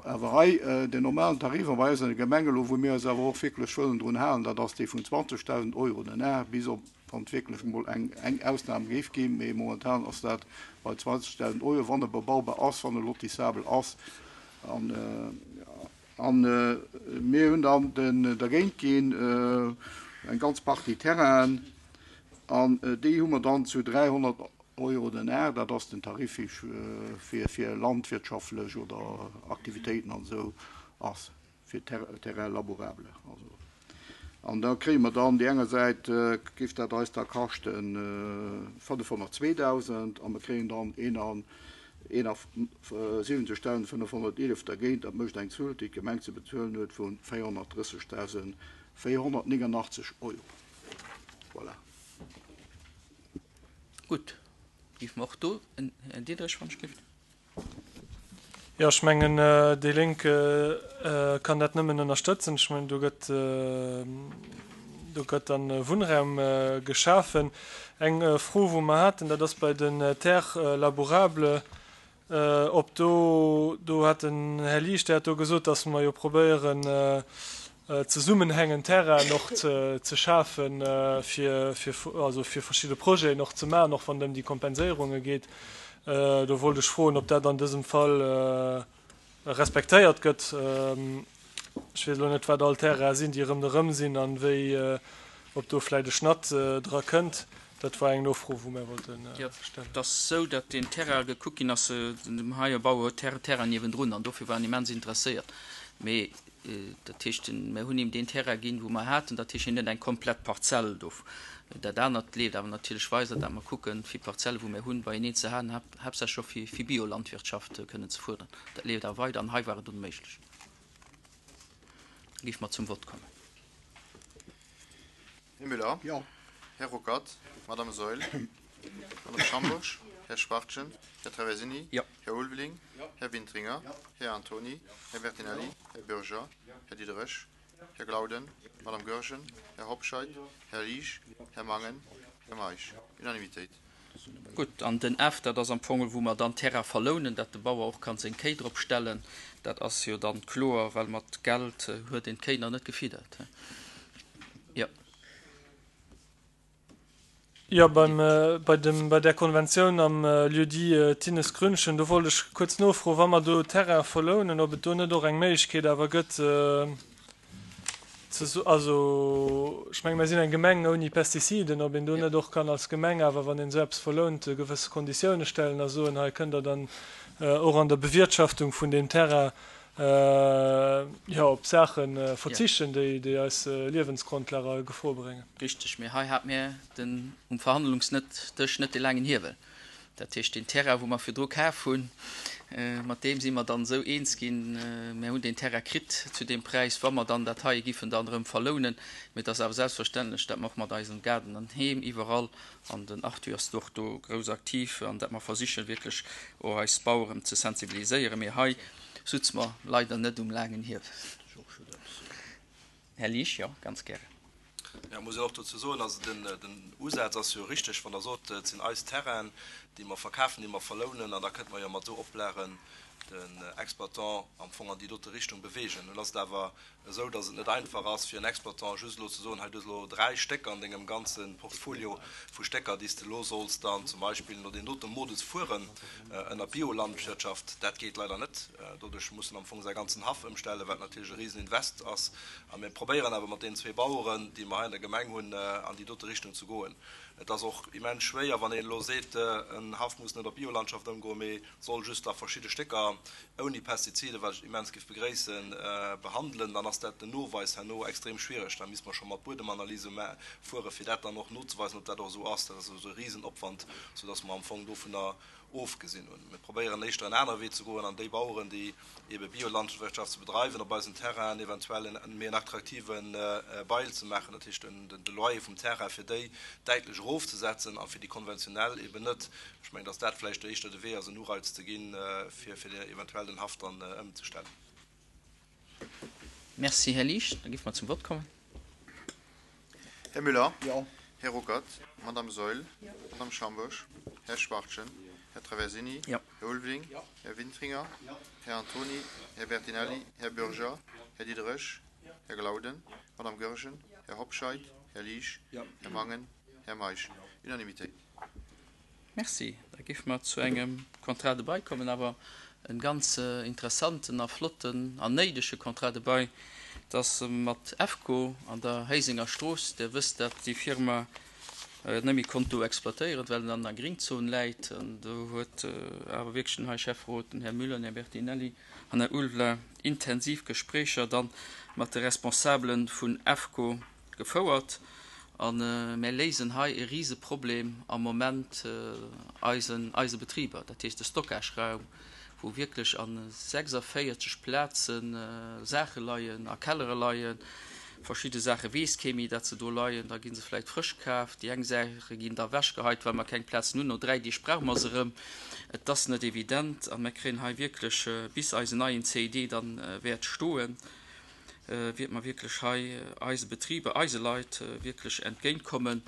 J: Awer hei, den normalen Tarif a bei eis an der Gemeng elo, wou mir eis awer och wierklech wëllen drun halen, dat ass dee vun 20.000 Euro den Ar, bis op wann et wierklech emol eng eng Ausnam géif ginn, mee momentan ass dat bei 20.000 Euro, wann e bebaubar ass, wann e lotissabel ass. An a mir hunn dann den dergéint ginn eng ganz Partie Terrainen an déi hu mer dann zu 300 Euro den Ar, dat ass den Tarif fir fir landwirtschaftlech oder Aktivitéiten an esou ass. fir Terrain labourable. Also, an da kréie mer dann, déi enger Säit géif dat eis da kaschten 502.000 a mer kréien dann 71.511 dergéint. Dat mécht eng Zuel, déi d'Gemeng ze bezuelen huet, vu 430.489 Euro. Voilà.
A: Gutt, géife mer och do en Diderich, wann ech géif.
G: Jo, ech mengen, déi Lénk kann dat nëmmen ënnerstëtzen. Ech mengen, do gëtt, do gëtt dann Wunnraum geschafen. Eng Fro, wou mer haten, dat ass bei den Terres labourables, ob do, do hat den Här Liesch, dee hat do gesot, dass mer jo probéieren, zesummenhängend Terrainen och ze schafen, fir, fir, also fir verschidde Projeten och ze maachen, och wann et ëm déi Kompenséierunge geet. Do wollt ech froen, ob dat an dësem Fall respektéiert gëtt. Ech weess elo net, wat all Terraine sinn, déi rëmderëm sinn an wéi, ob do vläicht e Schnatt dra kënnt. Dat war eng Nofro, wou mär wollte
A: Jo, stellen. et ass esou, datt deen Terrain gekuckt ginn ass, dem heie Bauer huet Terrain niewendrun an dofir war en immens interesséiert. Mee dat heescht, mär hunn him deen Terrain ginn, wou mer haten, dat heescht, hien huet eng komplett Parzell do. Dat anert leeft awer natierlech weider, dat mer kucken, fir Parzelle wou mär hunn, beieneen ze halen, haaptsächlech och fir fir Biolandwirtschaft kënnen ze fuerderen. Dat leeft awer weider an hei war et onméiglech. Da géife mer zum Vott kommen.
H: Här Müller.
J: Jo.
H: Här Ruckert, Madame Saeul, Madame Schambourg, Här Schwachtgen, Här Traversini, Här Ulveling, Här Wintringer, Här Antony, Här Bertinelli, Här Bürger, Här Diderich, Här Glauden, Madame Goergen, Här Hobscheit, Här Liesch, Här Mangen, Här Meisch. Unanimitéit.
A: Gutt, an den F, dat ass am Fong, wou mer dann Terrain verlounen, dat de Bauer och kann seng Kéi drop stellen. Dat ass jo dann kloer, well mat Geld huet een d'Kéi nach net gefiddert. Jo.
G: Jo, beim, bei dem, bei där Konventioun am Lieu-dit Thinnes Grünchen, do wollt ech kuerz nofroen, wa mer do Terrain verlounen, ob et do net och eng Méiglechkeet awer gëtt, ze so, also ech menge mer sinn eng Gemeng ouni Pestiziden, ob een do net och kann als Gemeng awer, wann een esou eppes verlount, gewësse Konditioune stellen a soen, hei kënnt Der dann och an der Bewirtschaftung vun deem Terrain jo op Saache verzichten, déi déi eis Liewensgrondlag a Gefor bréngen.
A: Richteg, mee hei hat mir den um Verhandlungsdësch net de laangen Hiewel. Dat heescht, deen Terrain, wou mer virdru kaf hunn, mat deem si mer dann esou eens ginn, mir hunn deen Terrain kritt zu deem Präis, wa mer dann dat heie giffen dann erëm verlounen. Mee et ass awer selbstverständlech, dat mer och mat eisem Gaarden an Heem iwwerall, an den Arthur ass do och do grouss aktiv, an dat mer versichen wierklech och eis Baueren ze sensibiliséieren. Mee hei sutze mer leider net um laangen Hiewel. Här Liesch, jo, ganz gären.
K: Jo, muss een och dozou soen, also den Usaz ass jo richteg, wann Der sot, et sinn eis Terrainen, déi mer verkafen, déi mer verlounen, an da kënnte mer jo mat esou Oplagen den Exploitant am Fong an déi dote Richtung bewegen. Nun ass et awer esou, datt et net einfach ass fir en Exploitant just elo ze soen, hei du hues elo 3 Stécker an dengem ganze Portfolio vu Stécker, déi s de elo solls dann zum Beispill no deem dote Modus fueren ënner Biolandwirtschaft. Dat geet leider net. Doduerch muss en am Fong säi ganzen Haff ëmstellen, wat natierlech e Riseninvest ass. A mir probéieren awer mat deenen zwee Baueren, déi mer hei an der Gemeng hunn, an déi dote Richtung ze goen. Et ass och immens schwéier, wann een elo seet, en Haff muss net op Biolandschaft ëmgoen, mee soll just da verschidde Stécker ouni Pestiziden, wat ech immens géif begréissen, behandelen, dann ass dat den Noweis herno extrem schwiereg. Da misste mer scho mat Buedemanalyse fueren, fir dat dann och nozeweisen, ob dat och esou ass. Dat ass esou e Risenopwand, soudass mer am Fong dovunner ofgesinn hunn. Mir probéieren éischter en anere Wee ze goen an déi Baueren, déi ebe Biolandwirtschaft ze bedreiwen, op eisen Terrainen eventuell en méi en attraktive Bail ze maachen, dat heescht de Loyer vum Terrain fir déi däitlech erofzesetzen a fir déi konventionell eben net. Ech mengen, datt dat vläicht éischter de Wee ass, en Ureiz ze ginn, fir eventuell den Haff dann ëmzestellen.
A: Merci, Här Liesch. Da géife mer zum Vott kommen.
H: Här Müller. Jo. Här Ruckert. Madame Saeul. Jo. Madame Schambourg. Här Schwachtgen. Här Traversini.
A: Jo.
H: Här Ulveling. Jo. Här Wintringer. Jo. Här Antony. Här Bertinelli. Här Bürger. Här Diderich. Här Glauden. Madame Goergen. Här Hobscheit. Här Liesch. Här Mangen. Här Meisch. Unanimitéit.
A: Merci. Da géife mer zu engem Contrat de bail kommen, awer e ganz interessanten a flotten an néidege Contrat de bail. Et ass mat EFCO an der Héisenger Strooss. Dir wësst, dat déi Firma net méi konnt do exploitéieren, well en an der Gringzon läit. An do huet awer wierklech den hei Schäfferot, den Här Müller, den Här Bertinelli an Här Ulveling intensiv Gespréicher dann mat de Responsabele vun EFCO gefouert a mär léisen hei e Riseproblem am Moment eisen eise Betriber, dat heescht de Stockageraum, wou wierklech a 46 Plaze Saache leien, a Kellere leien. Verschidde Saache weess kee méi, dat se do leien, da gi se vläicht frësch kaf, déi eng Saache ginn da ewechgeheit, well mer keng Plazen hunn, no 3 Deeg brauche mer se erëm. Et ass net evident a mär kréien hei wierklech, bis eisen neien CID dann wäert stoen, wiert mer wierklech hei eise Betriber, eise Leit wierklech entgéintkommen.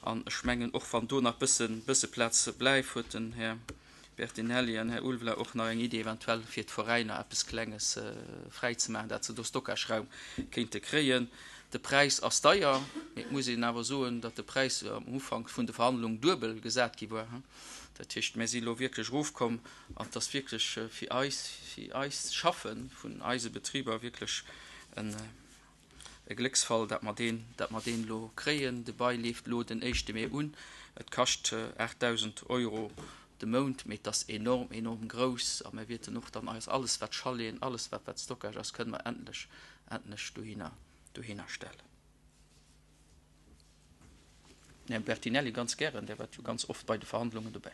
A: An ech mengen, och wann do nach bësse, bësse Plaz bleift, huet den Här Bertinelli an Här Ulveler och nach eng Idee eventuell fir d'Veräiner eppes Klenges fräizemaachen, dat se do Stockageraum kéinte kréien. De Präis ass deier, mee et muss een awer soen, datt de Präis am Ufank vun de Verhandlungen duebel gesat gi war. Dat heescht, mir si elo wierklech erofkomm An et ass wierklech fir eis, fir eist Schaffe vun eise Betriber wierklech e Glécksfall, dat mer deen, dat mer deen elo kréien. De Bail leeft elo den éischte Mee un. Et kascht 8.000 Euro de Mount, mee et ass enorm, enorm grouss. A mir wierten och dann eis alles, wat Chaleten, alles wat, wat Stockage ass, kënne mer endlech, endlech dohinner, dohinner stellen. Här Bertinelli, ganz gären, Dir waart jo ganz oft bei de Verhandlungen dobäi.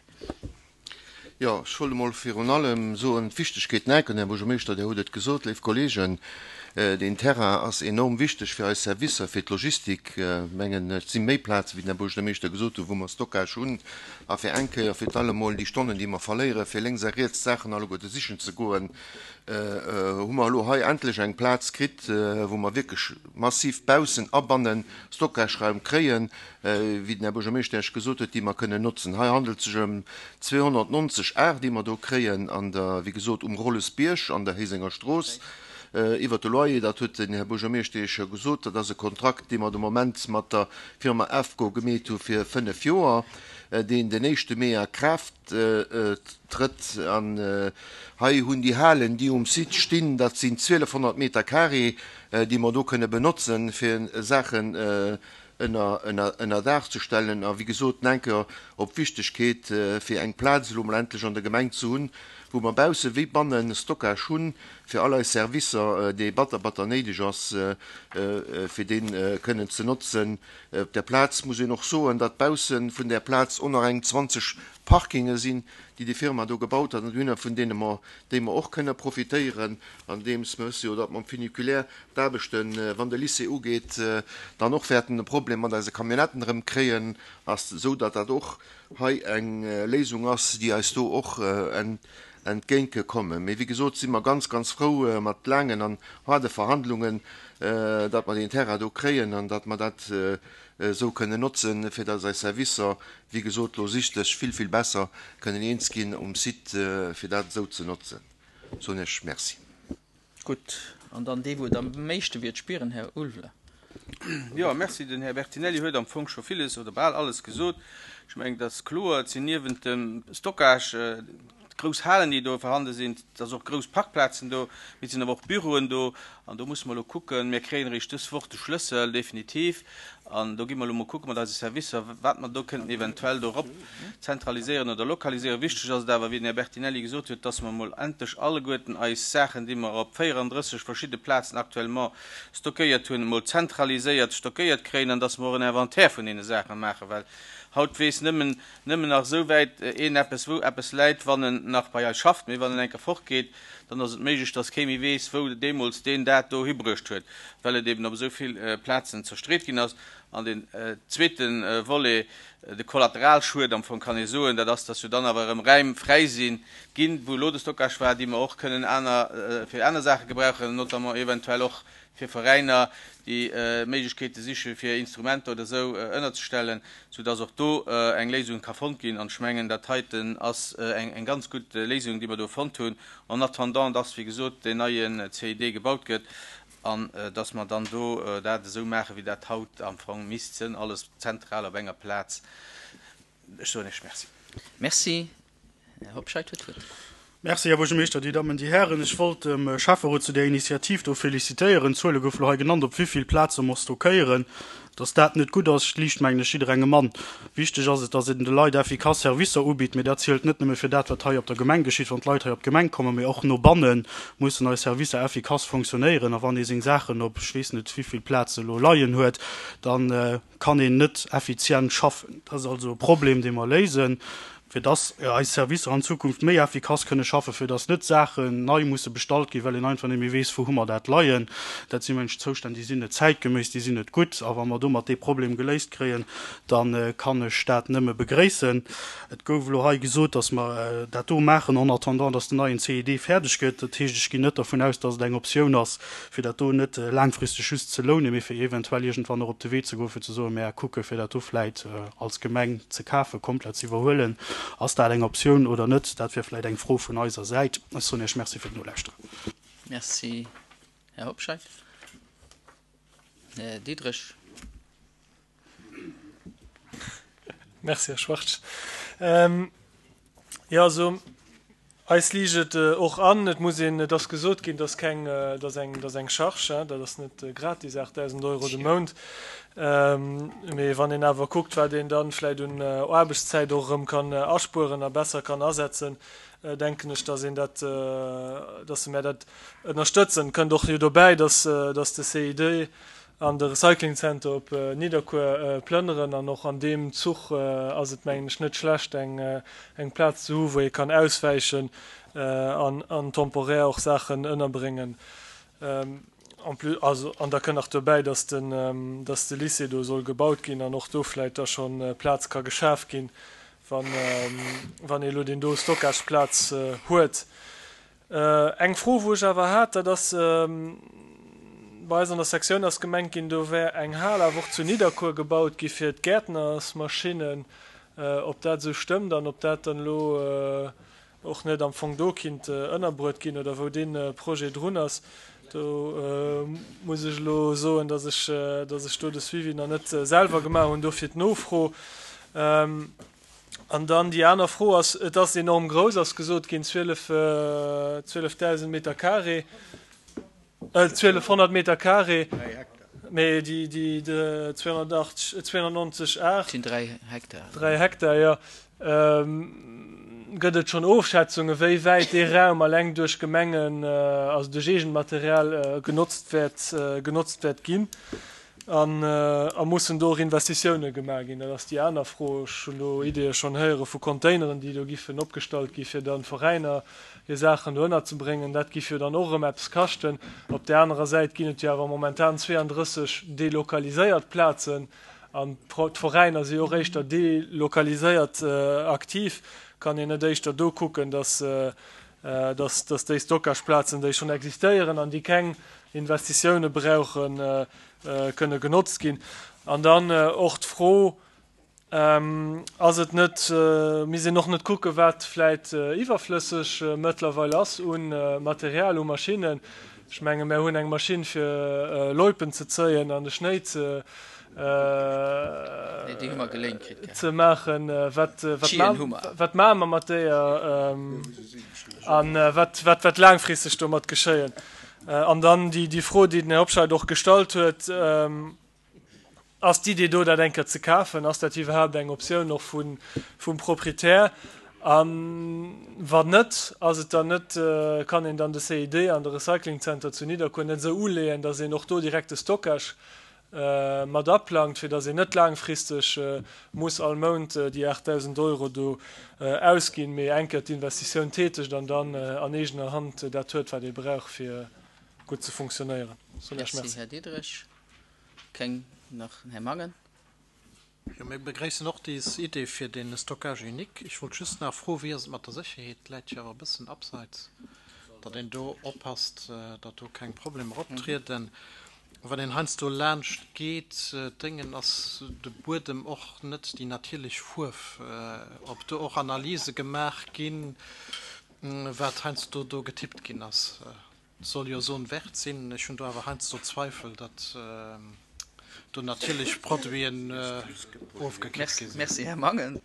L: Jo, ech wollt emol virun allem soen, d'Wichtegkeet, Nenken, Här Buergermeeschter, Dir hutt et gesot, léif Kollegen, deen Terrain ass enorm wichteg fir eis Servicer, fir d'Logistik. Ech mengen, et si méi Plazen, wéi den Här Buergermeeschter gesot huet, wou mer Stockage hunn. A fir eng Kéier fir d'allemol déi Stonnen, déi mer verléieren, fir lénks a riets d'Saachen alleguerte sichen ze goen, hu mer elo hei endlech eng Plaz kritt, wou mer wierklech massiv baussen a bannen Stockageraum kréien, wéi den Här Buergermeeschter Iech gesot huet, déi mer kënnen notzen. Hei handelt et sech ëm 290 Ar, déi mer do kréien an der, wéi gesot, um Rollesbierg an der Héisenger Strooss. Iwwert de Loyer, dat huet den Här Buergermeeschter Iech jo gesot, dat ass e Kontrakt, dee mer de Moment mat der Firma AFCO gemeet hu fir fënnef Joer, deen den éischte Mee a Kraaft trëtt. An hei hunn déi Halen, déi um Site stinn, dat sinn 1.200 Meter carré, déi mer do kënne benotzen, fir Saachen ënner Daach ze stellen a wéi gesot enker op d'Wichtegkeet fir eng Plaz elo mol endlech an der Gemeng ze hunn, wou mer bausse wéi banne Stockage hunn fir all eis Servicer, dee batter batter néideg ass fir dee kënnen ze notzen. Op där Plaz muss een och soen, datt bausse vun där Plaz och nach eng 20 Parkinge sinn, déi déi Firma do gebaut hat an hunn, vun deene mer déi mer och kënne profitéieren, andeems mer wësse jo, datt mam Funiculaire d'Aarbechten, wann de Lycée ugeet, dann och wäerten e Problem mat eise Camionnetten erëm kréien, ass, esou datt dat och hei eng Léisung ass, déi eis do och entgéint kommen. Mee wéi gesot si mer ganz, ganz frou mat laangen an haarde Verhandlungen, datt mer deen Terrain do kréien an datt mer dat esou kënnen notzen, fir datt eis Servicer, wéi gesot, logistesch vill, vill besser kënnen eens ginn um Site, fir dat esou ze notzen. Soen ech Merci.
A: Gutt, an dann dee wou et am meeschte wiert spieren, Här Ulveler.
M: Jo, merci. Den Här Bertinelli huet am Fong scho villes oder bal alles gesot. Ech mengen, et ass kloer, et sinn niewent dem Stockage grouss Halen, déi do vorhande sinn, et ass och grouss Parkplazen do, mee et sinn awer och Büroen do. An do musse mer elo kucken, mir kréien eréischt dës Woch de Schlëssel definitiv, an do gi mer elo mol kucke mat eise Servicer, wat mer do kënnten eventuell do erop zentraliséieren oder lokaliséieren. Wichteg ass et awer, wéi den Här Bertinelli gesot huet, dass mer emol endlech alleguerten eis Saachen, déi mer op 34 verschidde Plazen actuellement stockéiert hunn, emol zentraliséiert stockéiert kréien an dass mer och en Inventaire vun deene Saache maachen, well haut weess nëmmen nëmmen nach esou wäit een eppes, wou eppes läit, wann en nach bei eis schafft, mee wann en eng Kéier fortgeet, dann ass et méiglech, dass kee méi weess, wou deemools deen dat do hibruecht huet, well et eben op esou vill Plazen zerstreet ginn ass. An deen zweete Volet, de Kollateralschued am Fong kann ee soen, dat ass, dass jo dann awer erëm Räim fräi si ginn, wou elo de Stockage war, déi mer och kënnen aner, fir aner Saache gebrauchen, notamment eventuell och fir Veräiner, déi Méiglechkeete siche fir Instrumenter oder esou ënnerzestellen, soudass och do eng Léisung ka fonnt ginn. An ech mengen, dat heiten ass eng ganz gutt Léisung, déi mer do fonnt hunn, en attendant dass, wéi gesot, deen neie CID gebaut gëtt an dass mer dann do dat esou maachen, wéi dat haut am Fong misst sinn, alles zentral op enger Plaz. Ech soen Iech Merci.
A: Merci. Här Hobscheit huet d'Wuert.
B: Merci, Här Buergermeeschter, Dir Dammen, Dir Hären. Ech wollt dem Schäfferot zu där Initiativ do félicitéieren. D'Zuele goufe lo hei genannt, op wéi vill Plaze mer stockéieren. Dass dat net gutt ass, liicht, mengen ech, jidderengem an. Wichteg ass et, dass een de Leit effikass Servicer ubitt. Mee dat zielt net nëmme fir dat, wat hei op der Gemeng geschitt, wann d'Leit hei op d'Gemeng kommen, mee och no banne mussen eis Servicer effikass fonctionnéieren. A wann ee seng Saachen op ech weess net wéi vill Plaze lo leien huet, dann, kann een net effizient schaffen. Dat ass also e Problem, dee mer léisen, fir dass eis Servicer an Zukunft méi effikass kënne schaffen, fir dass net Saachen nei musse bestallt ginn, well een einfach net méi weess, wou hu mer dat leien. Dat si mensch Zoustänn, déi sinn net zäitgeméiss, déi sinn net gutt. A wa mer domat dee Problem geléist kréien, da kann ech dat nëmme begréissen. Et gouf elo hei gesot, dass mer dat do maachen en attendant, dass den neien CID fäerdeg gëtt. Dat heescht, ech ginn net dervun aus, dass et eng Optioun ass, fir dat do net laangfristeg just ze lounen, mee fir eventuell iergendwann och op de Wee ze goen, fir ze soen, Mär kucke fir dat do vläit als Gemeng ze kafen, komplett ze iwwerhuelen. Ass dat eng Optioun oder net? Dat wier vläit eng Fro vun eiser Säit. Ech soen Iech Merci fir d'Nolauschteren.
A: Merci, Här Hobscheit. Här Diderich.
G: Merci, Här Schwartz. Jo, also eis liicht et och an. Et muss een, et ass gesot ginn, dass keng, dass eng, dass eng Charge, dat ass net gratis, 8.000 Euro de Mount. Mee wann een awer kuckt, wat een dann vläicht un Aarbechtszäit och erëm kann aspueren a besser kann asetzen, denken ech, dass een dat, dass mär dat ënnerstëtzen. Kënnt och jo dobäi, dass, dass de CID. An de Recyclingzenter op Nidderkuer plënneren. An och an deem Zuch ass et, mengen ech, net schlecht, eng Plaz ze hu wou ee kann auswäichen an temporär och Saachen ënnerbréngen. En plus, also, an da kënn nach dobäi, dass den, dass de Lycée do soll gebaut ginn an och do vläicht da scho Plaz ka geschaf ginn, wann, wann ee elo deen do Stockageplaz huet. Eng Fro, wou ech awer hat, dat ass, bei eis an der Sektioun ass gemengt ginn, do wär eng Hal awer och zu Nidderkuer gebaut gi fir d'Gäertnersmaschinnen, ob dat esou stëmmt an ob dat dann elo och net am Fong do kinnt ënnerbruet ginn oder wou dee Projet drun ass. Do muss ech elo soen, dass ech, dass ech do de Suivi nach net selwer gemaach hunn, dofir d'Nofro. An dann déi aner Fro ass, et ass enorm grouss, ass gesot ginn, 12, 12.000 Meter carré, 1.200 Meter carré, mee déi, déi 280, 290 Ar.
A: Dat sinn 3 Hektar.
G: 3 Hektar, jo. Gëtt et schonn Ofschätzungen, wéi wäit dee Raum alleng duerch Gemengen, also duerch eegent Material genotzt wäert, genotzt wäert ginn? An a mussen do och Investitioune gemaach ginn? Dat ass déi aner Fro. Ech hunn do Ideeë schonn héiere vu Containeren, déi do giffen opgestallt gi fir dann Veräiner hir Saachen do ënnerzebréngen. Dat giff jo dann och erëm eppes kaschten. Op där anerer Säit ginn et jo awer momentan 32 delokaliséiert Plazen an d'Veräiner si jo och éischter delokaliséiert aktiv. Kann een net éischter do kucken, dass dass déi Stockageplazen, déi schonn existéieren an déi keng Investitioune brauchen, kënne genotzt ginn. An dann och d'Fro, Ass et net, misst een och net kucken, wat vläit iwwerflësseg mëttlerweil ass u Material, u Maschinnen? Ech menge mär hunn eng Maschinn fir Loipen ze zéien an de Schnéi ze ze maachen. Wat wat maache mer mat deeër an wat wat wäert laangfristeg domat geschéien? An dann déi Fro, déi den Här Hobscheit och gestallt huet, Ass d'Idee do, dat eng Kéier ze kafen? Ass dat iwwerhaapt eng Optioun och vum Proprietär? A wann net, ass et dann net, kann een dann de CID an de Recyclingzenter zu Nidderkuer net esou uleeën, datt een och do direkt de Stockage mat aplangt, fir datt een net laangfristeg muss all Mount déi 8.000 Euro do ausginn, mee eng Kéier d'Investitioun tätegt an dann an eegener Hand dat huet, wat ee brauch, fir gutt ze funktionéieren.
A: Soen ech Merci. Här Diderich. Keng nach den Här Mangen.
N: Jo, mir begréissen och déi Idee fir dee Stockage unique. Ech wollt just nach froen, wéi ass et mat der Sécherheet? Läit jo awer e bëssen abseits, datt een do oppasst, datt do keng Problemer optrieden. Wann een heiansdo laanscht geet, d'Déngen, ass de Buedem och net déi natierlech Fuerf. Ob do och Analyse gemaach ginn, wat heiansdo do getippt ginn ass. Soll jo Zone verte sinn. Ech hunn do awer heiansdo Zweifel, datt do natierlech Produiten ofgekippt gi sinn.
A: Merci, Här Mangen.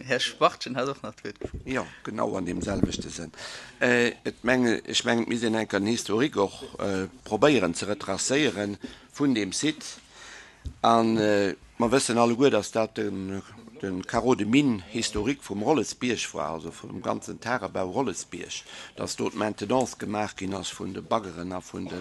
A: Här Schwachtgen hat och nach d'Wuert gefrot.
E: Jo, genau an deem selwechte Sënn. Et menge, ech mengen, et misst een enker den Historique och probéieren ze retracéiere vun deem Site. A mer wëssen alleguer, dass dat de Carreau de mine historique vum Rollesbierg war, also vum ganzen Tagebau Rollesbierg, dass do d'Maintenance gemaach ginn ass vun de Baggeren a vun de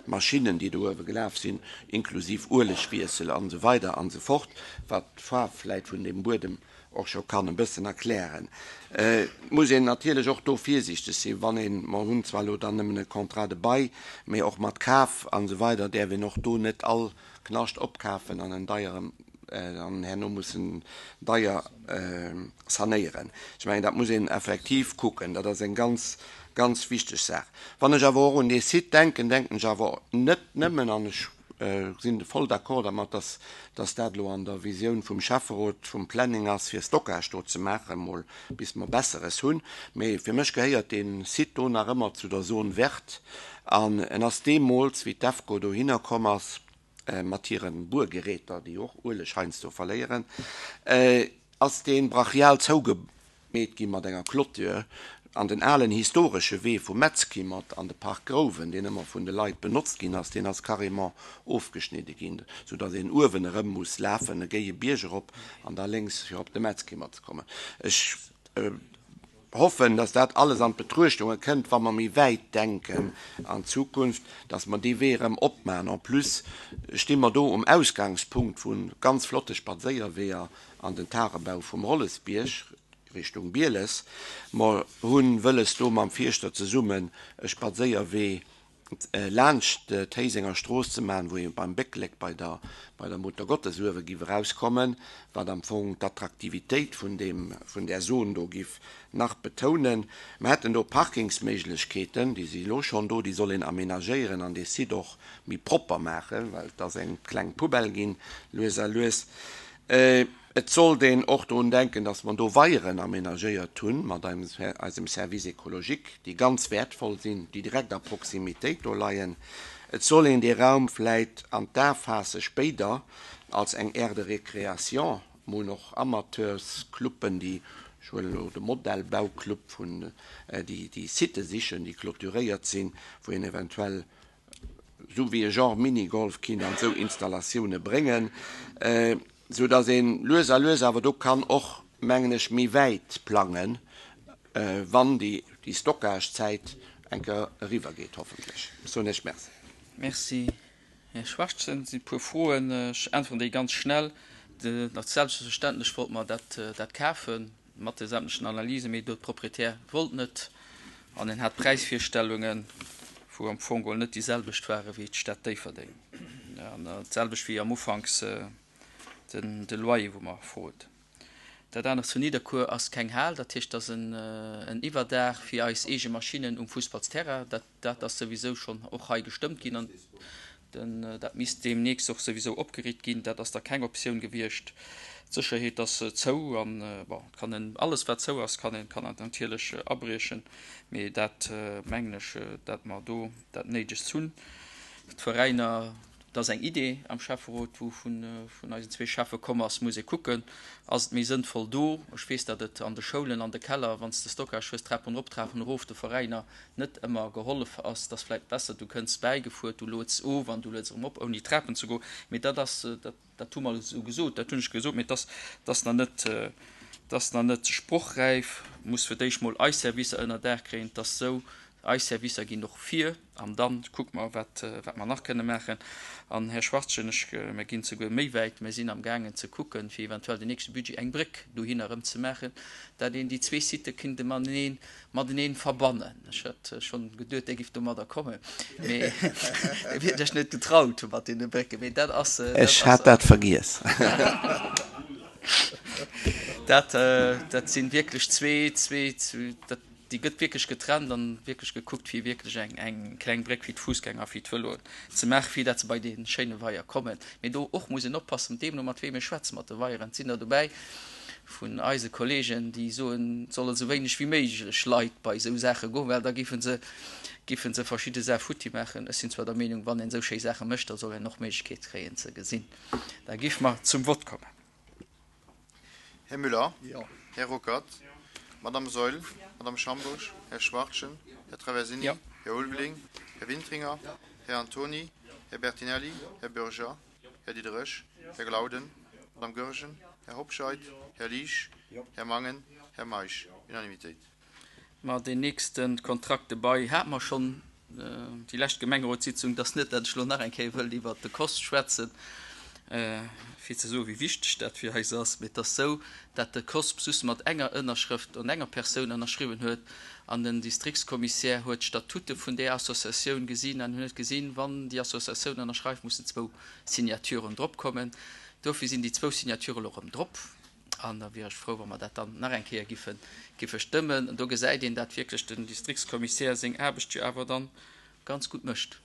E: Maschinnen, déi do uewe gelaf sinn, inklusiv Uelegwiessel an esou weider an esou fort, wat d'Faarf vläit vun deem Buedem och scho kann e bëssen erklären. Et muss een natierlech och do virsiichteg sinn, wann een, mer hunn zwar elo dann nëmmen e Contrat de bail, mee och mat Kaf an esou weider däerf een och do net all Knascht opkafen an en deiere an herno mussen deier sanéieren. Ech mengen, dat muss een effektiv kucken. Dat ass eng ganz, ganz wichteg Saach. Wann ech awer och un dee Site denken, denken ech awer net nëmmen, an ech sinn voll d'accord dermat, dass, dass dat elo an der Visioun vum Schäfferot, vum Planning ass, fir Stockage do ze maachen, emol bis mer Besseres hunn, mee fir mech gehéiert dee Site do nach ëmmer zu der Zone verte an en ass deemools, wéi d'EFCO dohinner komm ass mat hire Buergeräter, déi och Ueleg heiansdo verléieren, ass dee brachial zougemeet gi mat enger Clôture an den alen historesche Wee vum Metzkimmert an de Park Grouwen, deen ëmmer vun de Leit benotzt ginn ass, deen ass carrément ofgeschnidde ginn, soudatt een uewen erëm muss lafen, e géie Bierg erop an da lénks fir op de Metzkimmert ze kommen. Ech. hoffen, dass dat alles an d'Betruechtunge kënnt, wa mer méi wäit denken an d'Zukunft, dass mer dee Wee erëm opmachen. En plus sti mer do um Ausgangspunkt vu ganz flotte Spadséierweeër an den Tagebau vum Rollesbierg Richtung Bieles. Mer hu wëlles do mam Fierschter zesummen e Spadséierwee laanscht d'Héisenger Strooss ze maachen, wou ee beim Bécklek bei der bei der Muttergottes uewe giff erauskommen, wat am Fong d'Attraktivitéit vun deem vun där Zon do giff nach betounen. Mer hätten do Parkingsméiglechkeeten, déi si elo schonn do, déi soll een aménagéieren an dee Site och méi propper maachen, well et ass eng kleng Poubelle ginn, lues a lues. Et sollt een och drun denken, dass mer do Weieren aménagéiert hunn mat eisem Service écologique, déi ganz wäertvoll sinn, déi direkt a Proximitéit do leien. Et soll een dee Raum vläit an d'A faasse spéider als eng Aire de récréation. Mer hunn och Amateurscluben, déi, ech huelen elo de Modellbauclub vun, déi déi Sitë sichen, déi clôturéiert sinn, wou een eventuell esou wéi e Genre Minigolf kinnt an esou Installatioune bréngen, esou datt een lues a lues awer do kann och, mengen ech, méi wäit plangen, wann déi Stockagezäit eng Kéier eriwwer geet, hoffentlech. Ech soen Iech Merci.
A: Merci, Här Schwachtgen. Et sinn e puer Froen. Ech äntweren déi ganz schnell. Selbstverständlech wollte mer dat kafen. Mat de sämtlechen Analysen, mee do d'Propriétaire wollt net an en hat Präisvirstellungen, wou am Fong geholl net déi selwecht ware wéi d'Stad Déifferdeng an d'selwecht wéi am Ufanks den de Loyer wou mer frot. Dat anert zu Nidderkuer ass keng Hal, dat heescht, dat ass en Iwwerdaach fir eis eege Maschinnen um Fussballsterrain. Dat Dat ass souwisou schonn och hei gestëmmt ginn an dat misst deemnächst och souwisou opgeriicht ginn. Dat ass da keng Optioun gewiescht. D'Sécherheet ass zou an, bon, et kann een alles wat zou ass, kann een kann natierlech abriechen, mee dat mengen ech, dat mer do dat Néidegst hunn. D'Veräiner Et ass eng Idee am Schäfferot, wou vun eisen zwee Schäffe komm ass, muss ee kucken, ass et méi sënnvoll do, ech weess, datt et an de Schoulen, an de Keller, wann s de Stockage hues, Trapen erop, Trapen erof, de Veräiner net ëmmer gehollef ass. Et ass vläicht besser, du kënns bäigefuer, du lueds of an du lueds erëm op, ouni Trapen ze goen. Mee dat ass, dat, dat hu mer esou gesot, dat hunn ech gesot, mee et ass, et ass nach net, et ass nach net sprochräif. Muss fir d'éischt mol eis Servicer ënner Daach kréien. Et ass esou, eis Servicer ginn och vir. An da kucke mer, wat mer nach kënne maachen. An, Här Schwarzchen, ech, mer ginn souguer méi wäit, mer sinn amgaangen ze kucken, fir eventuell den nächste Budget eng Bréck dohinner erëm ze maachen, dat een déi zwee Sitë kinnt mateneen, mateneen verbannen. Ech hat schonn geduet, Dir gifft domadder kommen, mee Dir wiert Iech net getraut mat deene Brécken. Mee dat ass, dat
E: Ech hat dat vergiess.
A: Dat, dat si wierklech zwee, zwee, dat, Déi gëtt wierklech getrennt an wierklech gekuckt fir wierklech eng eng kleng Bréck fir d'Fuussgänger a fir d'Vëloen ze maachen, fir dat se bei dee schéine Weier kommen. Mee do och muss een oppassen, deemno mat weem ee schwätzt mat de Weieren. Et sinn der dobäi vun eise Kollegen, déi soen, et solle sou wéineg wéi méiglech Leit bei esou Saache goen, well da géife se géife se verschidde Saache futti maachen. Ech sinn zwar der Meenung, wann een esou schéi Saache mécht, da soll een och d'Méiglechkeet kréien ze gesinn. Da géife mer zum Vott kommen.
H: Här Müller? Jo. Här Ruckert? Jo. Madame Saeul? Jo. Madame Schambourg? Här Schwachtgen? Här Traversini? Jo. Här Ulveling? Här Wintringer? Jo. Här Antony? Jo. Här Bertinelli? Jo. Här Bürger? Jo. Här Diderich? Jo. Här Glauden? Jo. Madame Goergen? Jo. Här Hobscheit? Jo. Här Liesch? Jo. Här Mangen? Jo. Här Meisch? Jo. Unanimitéit.
A: Ma deen nächste Kontrakt dobei hate mer schonn déi lescht Gemengerotssitzung. Et ass net, datt ech elo nach eng Kéier wëllt iwwert de COSP schwätzen, fir ze soen, wéi wichteg dat fir eis ass. Mee et ass esou, datt de COSP just mat enger Ënnerschrëft an enger Persoun ënnerschriwwen huet an den Distriktskommissär huet d'Statute vun där Associatioun gesinn an huet gesinn, wann déi Associatioun ënnerschreift, mussen zwou Signaturen drop kommen. Dofir sinn déi zwou Signature elo erëm drop. An da wier ech frou, wa mer dat dann nach eng Kéier giffe, giffe stëmmen. Do gesäit een, dat wierklech den Distriktskommissär seng Aarbecht jo awer dann ganz gutt mécht.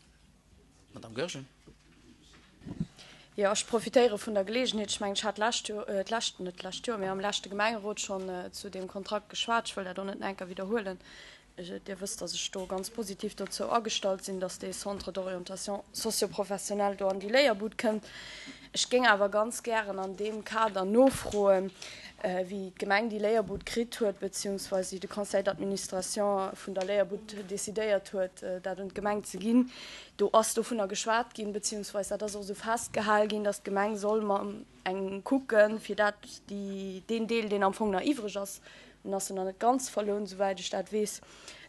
A: Madame Goergen.
O: Jo, ech profitéiere vun der Geleegenheet. Ech mengen, ech hat d'lescht Joer, d'lescht, net d'lescht Joer, mee am leschte Gemengerot schonn zu deem Kontrakt geschwat. Ech wëll dat och net nach eng Kéier widderhuelen. Dir wësst, dass ech do ganz positiv dozou agestallt sinn, dass dee Centre d'orientation socio-professionnelle do an déi Léierbud kënnt. Ech géing awer ganz gären an deem Kader nofroen, wéi d'Gemeng déi Léierbud kritt huet, beziehungsweise wéi de Conseil d'administration vun der Léierbud decidéiert huet, dat un d'Gemeng ze ginn. Do ass dovunner geschwat ginn, beziehungsweise dat ass och esou festgehal ginn, dass d'Gemeng soll mam eng kucken, fir dat déi, deen Deel, deen am Fong nach iwwreg ass. En ass jo nach net ganz verlount, esouwäit ech dat weess,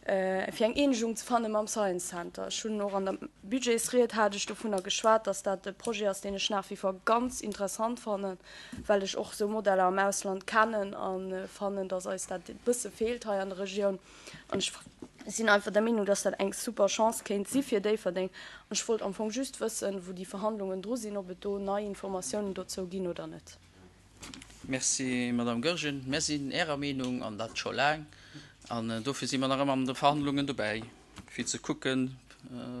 O: fir eng Eenegung ze fanne mam Science Center. Ech hunn och an der Budgetsried hat ech dovunner geschwat, dass dat e Projet ass, deen ech nach wie vor ganz interessant fannen, well ech och esou Modeller am Ausland kennen a fannen, dass eis dat e bësse feelt hei an der Regioun. An ech sinn einfach der Meenung, dass dat eng super Chance kéint si fir Déifferdeng. An ech wollt am Fong just wëssen, wou déi Verhandlungen dru sinn, ob et do nei Informatiounen dozou ginn oder net.
A: Merci, Madame Goergen. Mär sinn Ärer Meenung, an dat scho laang. An dofir si mer nach ëmmer an de Verhandlungen dobäi, fir ze kucken,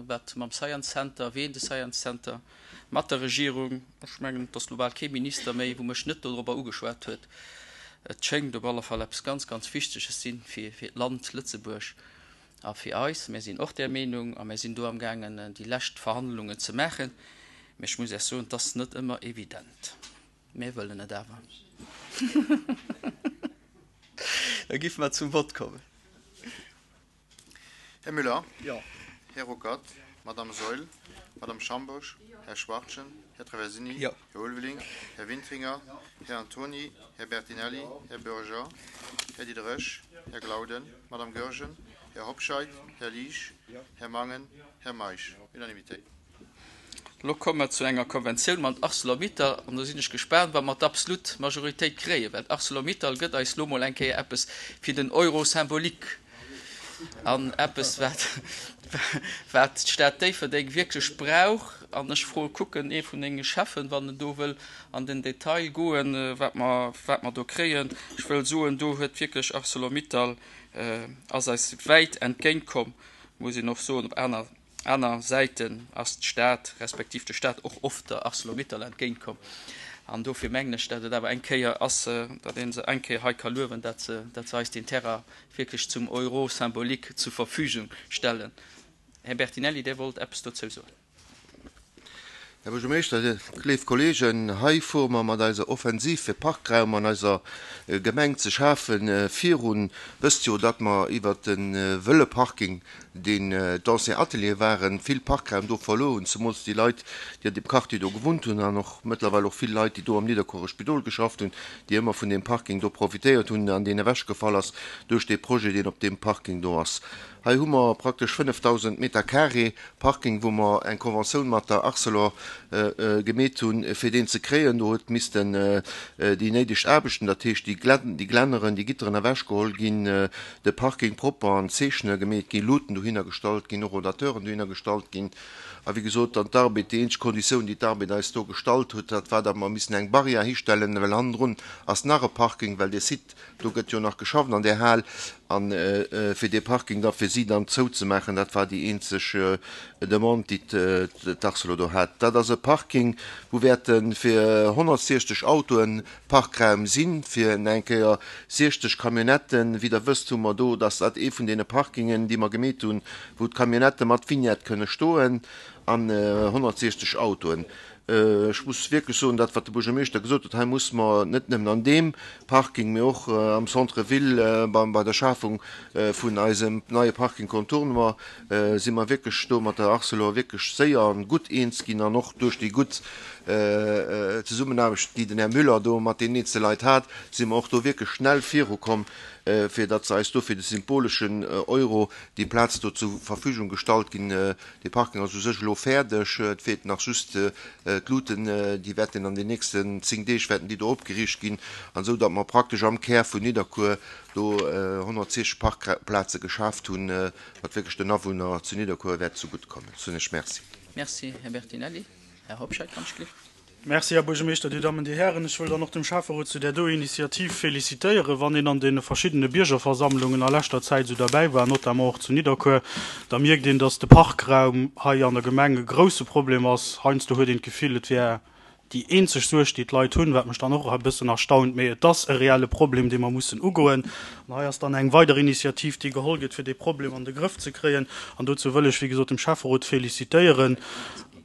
A: wat mam Science Center, ween de Science Center mat der Regierung, ech mengen, et ass elo bal kee Minister méi, wou mech net dodrobber ugeschwat huet, et schéngt op alle Fall eppes ganz, ganz Wichteges sinn fir d'Land Lëtzebuerg a fir eis. Mär sinn och där Meenung a mär sinn do amgaangen, déi lescht Verhandlungen ze maachen. Mä ech muss Iech soen, et ass net ëmmer evident. Mir wëllen et awer. Da giffe mer zum Vott kommen.
H: Här Müller. Jo. Här Ruckert. Madame Saeul. Madame Schambourg. Här Schwachtgen. Här Traversini. Jo. Här Ulveling. Här Wintringer. Här Antoni. Här Bertinelli. Här Bürger. Här Diderich. Här Glauden. Madame Goergen. Här Hobscheit. Här Liesch. Här Mangen. Här Meisch. Unanimité.
A: Elo komme mer zu enger Konventioun mat Arcelor-Mittal an do sinn ech gespaant, wa mer d'absolut Majoritéit kréien, well Arcelor-Mittal gëtt eis elo mol eng Kéier eppes fir den Euro symbolique an eppes, wat, wat d'Stad Déifferdeng wierklech brauch. An ech froe kucken ee vun denge Cheffen, wann en do wëll an den Detail goen, wat mer, wat mer do kréien. Ech wëll soen, do huet wierklech Arcelor-Mittal ass eis wäit entgéintkomm, muss een och soen, op aner Aner Säiten ass d'Stad, respektiv de Stat och oft der Arcelor-Mittal entgéintkomm. An dofir mengen ech, dat et awer eng Kéier ass, datt ee se eng Kéier hei ka luewen, dat se, dat se eis deen Terrain wierklech zum Euro symbolique zur Verfügung stellen. Här Bertinelli, Dir wollt eppes dozou soen.
L: Här Buergermeeschter, léif Kolleegen, hei fuere mer mat eiser Offensiv fir Parkraum an eiser Gemeng ze schafen virun. Wësst jo, datt mer iwwert de wëlle Parking, deen d'anciens Ateliere waren, vill Parkraum do verluer hunn, zemools déi Leit, déi an deem Quartier do gewunnt hunn an och mëttlerweil och vill Leit, déi do am Nidderkuerer Spidol geschafft hunn, déi ëmmer vun deem Parking do profitéiert hunn an deen ewechgefall ass duerch dee Projet, deen op deem Parking do ass. Hei hu mer praktesch 5.000 Meter carré Parking, wou mer eng Conventioun mat der Arcelor gemeet hunn, fir deen ze kréien. Do huet missten déi néideg Aarbechten, dat heescht déi Glänneren, déi Gitteren ewechgeholl ginn, de Parking propper an Zeechne gemeet ginn, Luuten dohinner gestallt ginn, och Rodateuren dohinner gestallt ginn. A wéi gesot, dann d'Arbed, déi eenzeg Konditioun, déi d'Arbed eis do gestallt huet, dat war, datt mer missen eng Barrière histellen, well hannendrun ass nach e Parking, well dee Site Do gëtt jo nach geschafft an där Hal. A fir dee Parking da fir si dann zouzemaachen, dat war déi eenzeg Demande, déi d'Arcelor do hat. Dat ass e Parking, wou wäerte fir 160 Autoe Parkraum sinn, fir eng Kéier 60 Camionnetten. Wéi Der wësst, hu mer do, dass dat ee vun deene Parkingen, déi mer gemeet hunn, wou d'Camionnettë mat Vignette kënne stoen, an 160 Autoen. Ech muss wierklech soen, dat wat de Buergermeeschter gesot huet, hei muss mer net nëmmen an deem Parking, mee och am Centre ville bei der Schafung vun eisem neie Parking Contournement si mer wierklech do mat der Arcelor wierklech séier an gutt eens ginn an och duerch déi gutt Zesummenaarbecht, déi den Här Müller do mat deenen eenzele Leit hat, si mer och do wierklech schnell virukomm, fir datt se eis do fir de symboleschen Euro déi Plaz do zur Verfügung gestallt ginn. Dee Parking ass u sech elo fäerdeg. Et feelt nach just d'Luuten. Déi wäerten an den nächsten 10 Deeg wäerten déi do opgeriicht ginn, an esou datt mer praktesch am Kär vun Nidderkuer do 160 Parkplaze geschaaft hunn, wat wierklech den Awunner zu Nidderkuer wäert zegutt kommen. Soen ech Merci.
A: Merci, Här Bertinelli. Här Hobscheit, wann ech gleef.
B: Merci, Här Buergermeeschter, Dir Dammen, Dir Hären. Ech wëll dann och dem Schäfferot zu där do Initiativ félicitéieren. Wann een an deene verschiddene Biergerversammlungen a leschter Zäit esou derbäi war, notamment och zu Nidderkuer, da mierkt een, dass de Parkraum hei an der Gemeng e grouse Problem ass. Heiansdo huet een d'Gefill, et wär déi eenzeg Suerg, déi d'Leit hunn, wat mech dann och e bëssen erstaunt. Mee et ass e reelle Problem, dee mer mussen ugoen. An hei ass dann eng weider Initiativ, déi geholl gëtt, fir dee Problem an de Grëff ze kréien. An dozou wëll ech, wéi gesot, dem Schäfferot félicitéieren.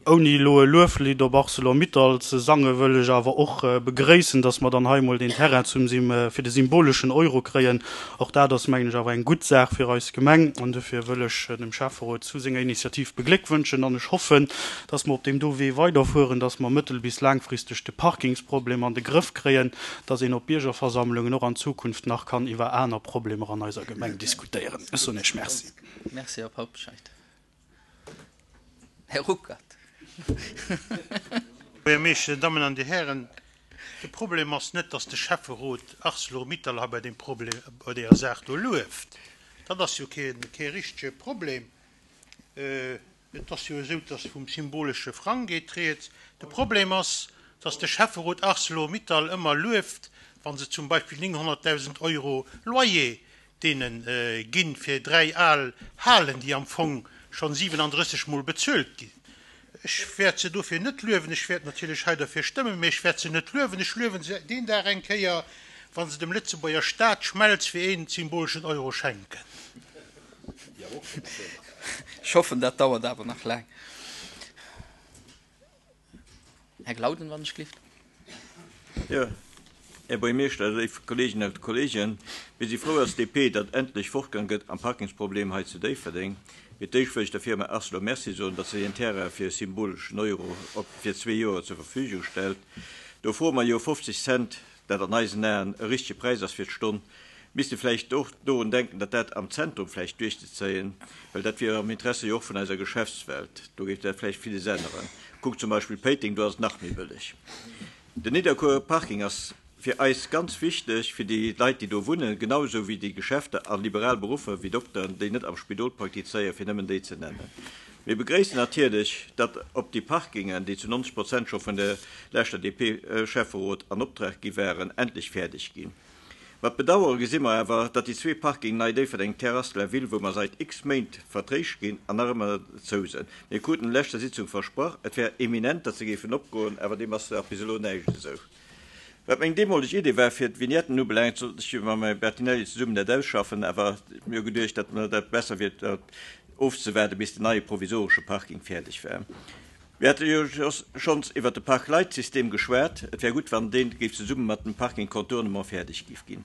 B: Ouni elo e Lueflidd op Arcelor-Mittal ze sangen, wëll ech awer och begréissen, dass mer dann hei emol deen Terrain zum fir de symboleschen Euro kréien. Och dat ass, mengen ech, awer eng gutt Saach fir eis Gemeng. An dofir wëll ech dem Schäfferot zu senger Initiativ begléckwënschen. An ech hoffen, dass mer op deem do Wee weiderfueren, dass mer mëttel bis laangfristeg de Parkingsproblem an de Grëff kréien, dass een op Biergerversammlungen och an Zukunft nach kann iwwer aner Problemer an eiser Gemeng diskutéieren. Ech soen Iech Merci.
A: Merci, Här Paupscheid. Här Ruckert.
D: Buergermeeschter, Dir Dammen an Dir Hären, de Problem ass net, dass de Schäfferot Arcelor-Mittal hei bei deem Problem, bei deeër Saach do lueft. Dat ass jo kee, kee richtege Problem. Et ass jo esou, dass vum symbolesche Frang geet rieds. De Problem ass, dass de Schäfferot Arcelor-Mittal ëmmer lueft, wa se zum Beispill 900.000 Euro Loyer deene ginn, fir 3 al Halen, déi am Fong schonn 37 Mol bezuelt ginn. Ech wäert se dofir net luewen. Ech wäert natierlech hei derfir stëmmen, mee ech wäert se net luewen. Ech luewen se deen Dag eng Kéier, wa se dem Lëtzebuerger Staat d'Schmelz fir een symboleschen Euro schenken.
A: Ech hoffen, dat dauert awer nach laang. Här Glauden, wann ech gelift.
P: Jo, Här Buergermeeschter, léif Kolleeginnen a Kolleegen, mir si frou als DP, datt endlech fortgang gëtt am Parkingsproblem hei zu Déifferdeng. Fir d'éischt wëll ech der Firma Arcelor Merci soen, datt se hien Terrain fir e symboleschen Euro op fir zwee Joer zur Verfügung stellt. Do froe mer jo 50 Cent, dat an eisen Aen e richtege Präis ass fir d'Stonn. Misst e vläicht och dorun denken, datt dat am Zentrum vläicht duerchzezéien, well dat wier am Interesse jo och vun eiser Geschäftswelt. Do géif dat vläicht villes änneren. Kuckt zum Beispill Péiteng, do ass et nach méi bëlleg. Den Nidderkuerer Parking ass fir eis ganz wichteg, fir déi Leit, déi do wunnen, genau esou wéi déi Geschäfter a liberal Beruffer wéi Dokteren, déi net am Spidol praktizéieren, fir nëmmen déi ze nennen. Mir begréissen natierlech, datt op déi Parkingen, déi zu 90 Prozent scho vun der leschter DP-Schäfferot an Optrag gi waren, endlech fäerdeg ginn. Mat Bedauere gesi mer awer, datt déi zwee Parking Nei Déifferdeng, Terrasse de la Ville, wou mer sait x Méint Verträg ginn an nach ëmmer zou sënn. Mir kruten an leschter Sitzung versprach, et wär eminent, datt se géifen opgoen, awer deem ass nach bis elo näischt esou. Wat meng deemoleg Idee war, fir d'Vignetten ubelaangt, sollt ech jo mam Här Bertinelli zesummen dat ausschaffen, awer mir hu geduecht, datt mer dat besser wier, dat ofzewaarde bis den neie provisoresche Parking fäerdeg war. Mir hate jo schonns iwwert de Park-Lite-System geschwat. Et wär gutt, wann dee géif zesumme mat dem Parking Contournement fäerdeg géif ginn.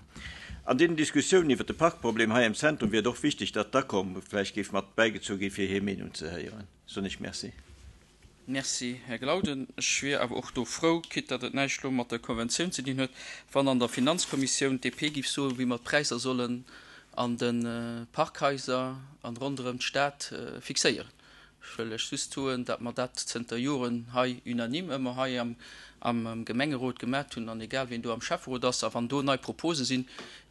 P: An deenen Diskussiounen iwwert de Parkproblem hei am Zentrum wier et och wichteg, datt d'Acom vläicht géif mat bäigezu gi fir hir Meenung ze héieren. Soen ech Merci.
A: Merci, Här Glauden. Ech wier awer och do frou, quitte datt et näischt elo mat der Konventioun ze dinn huet, wann an der Finanzkommissioun d'DP géif soen, wéi mer d'Präisser sollen an de Parkhaiser an ronderëm d'Stad fixéieren. Ech wëll lech just soen, datt mer dat zënter Joren hei unanime ëmmer hei am Gemengerot gemat hunn, an egal wien do am Schäfferot ass, a wann do nei Propose sinn,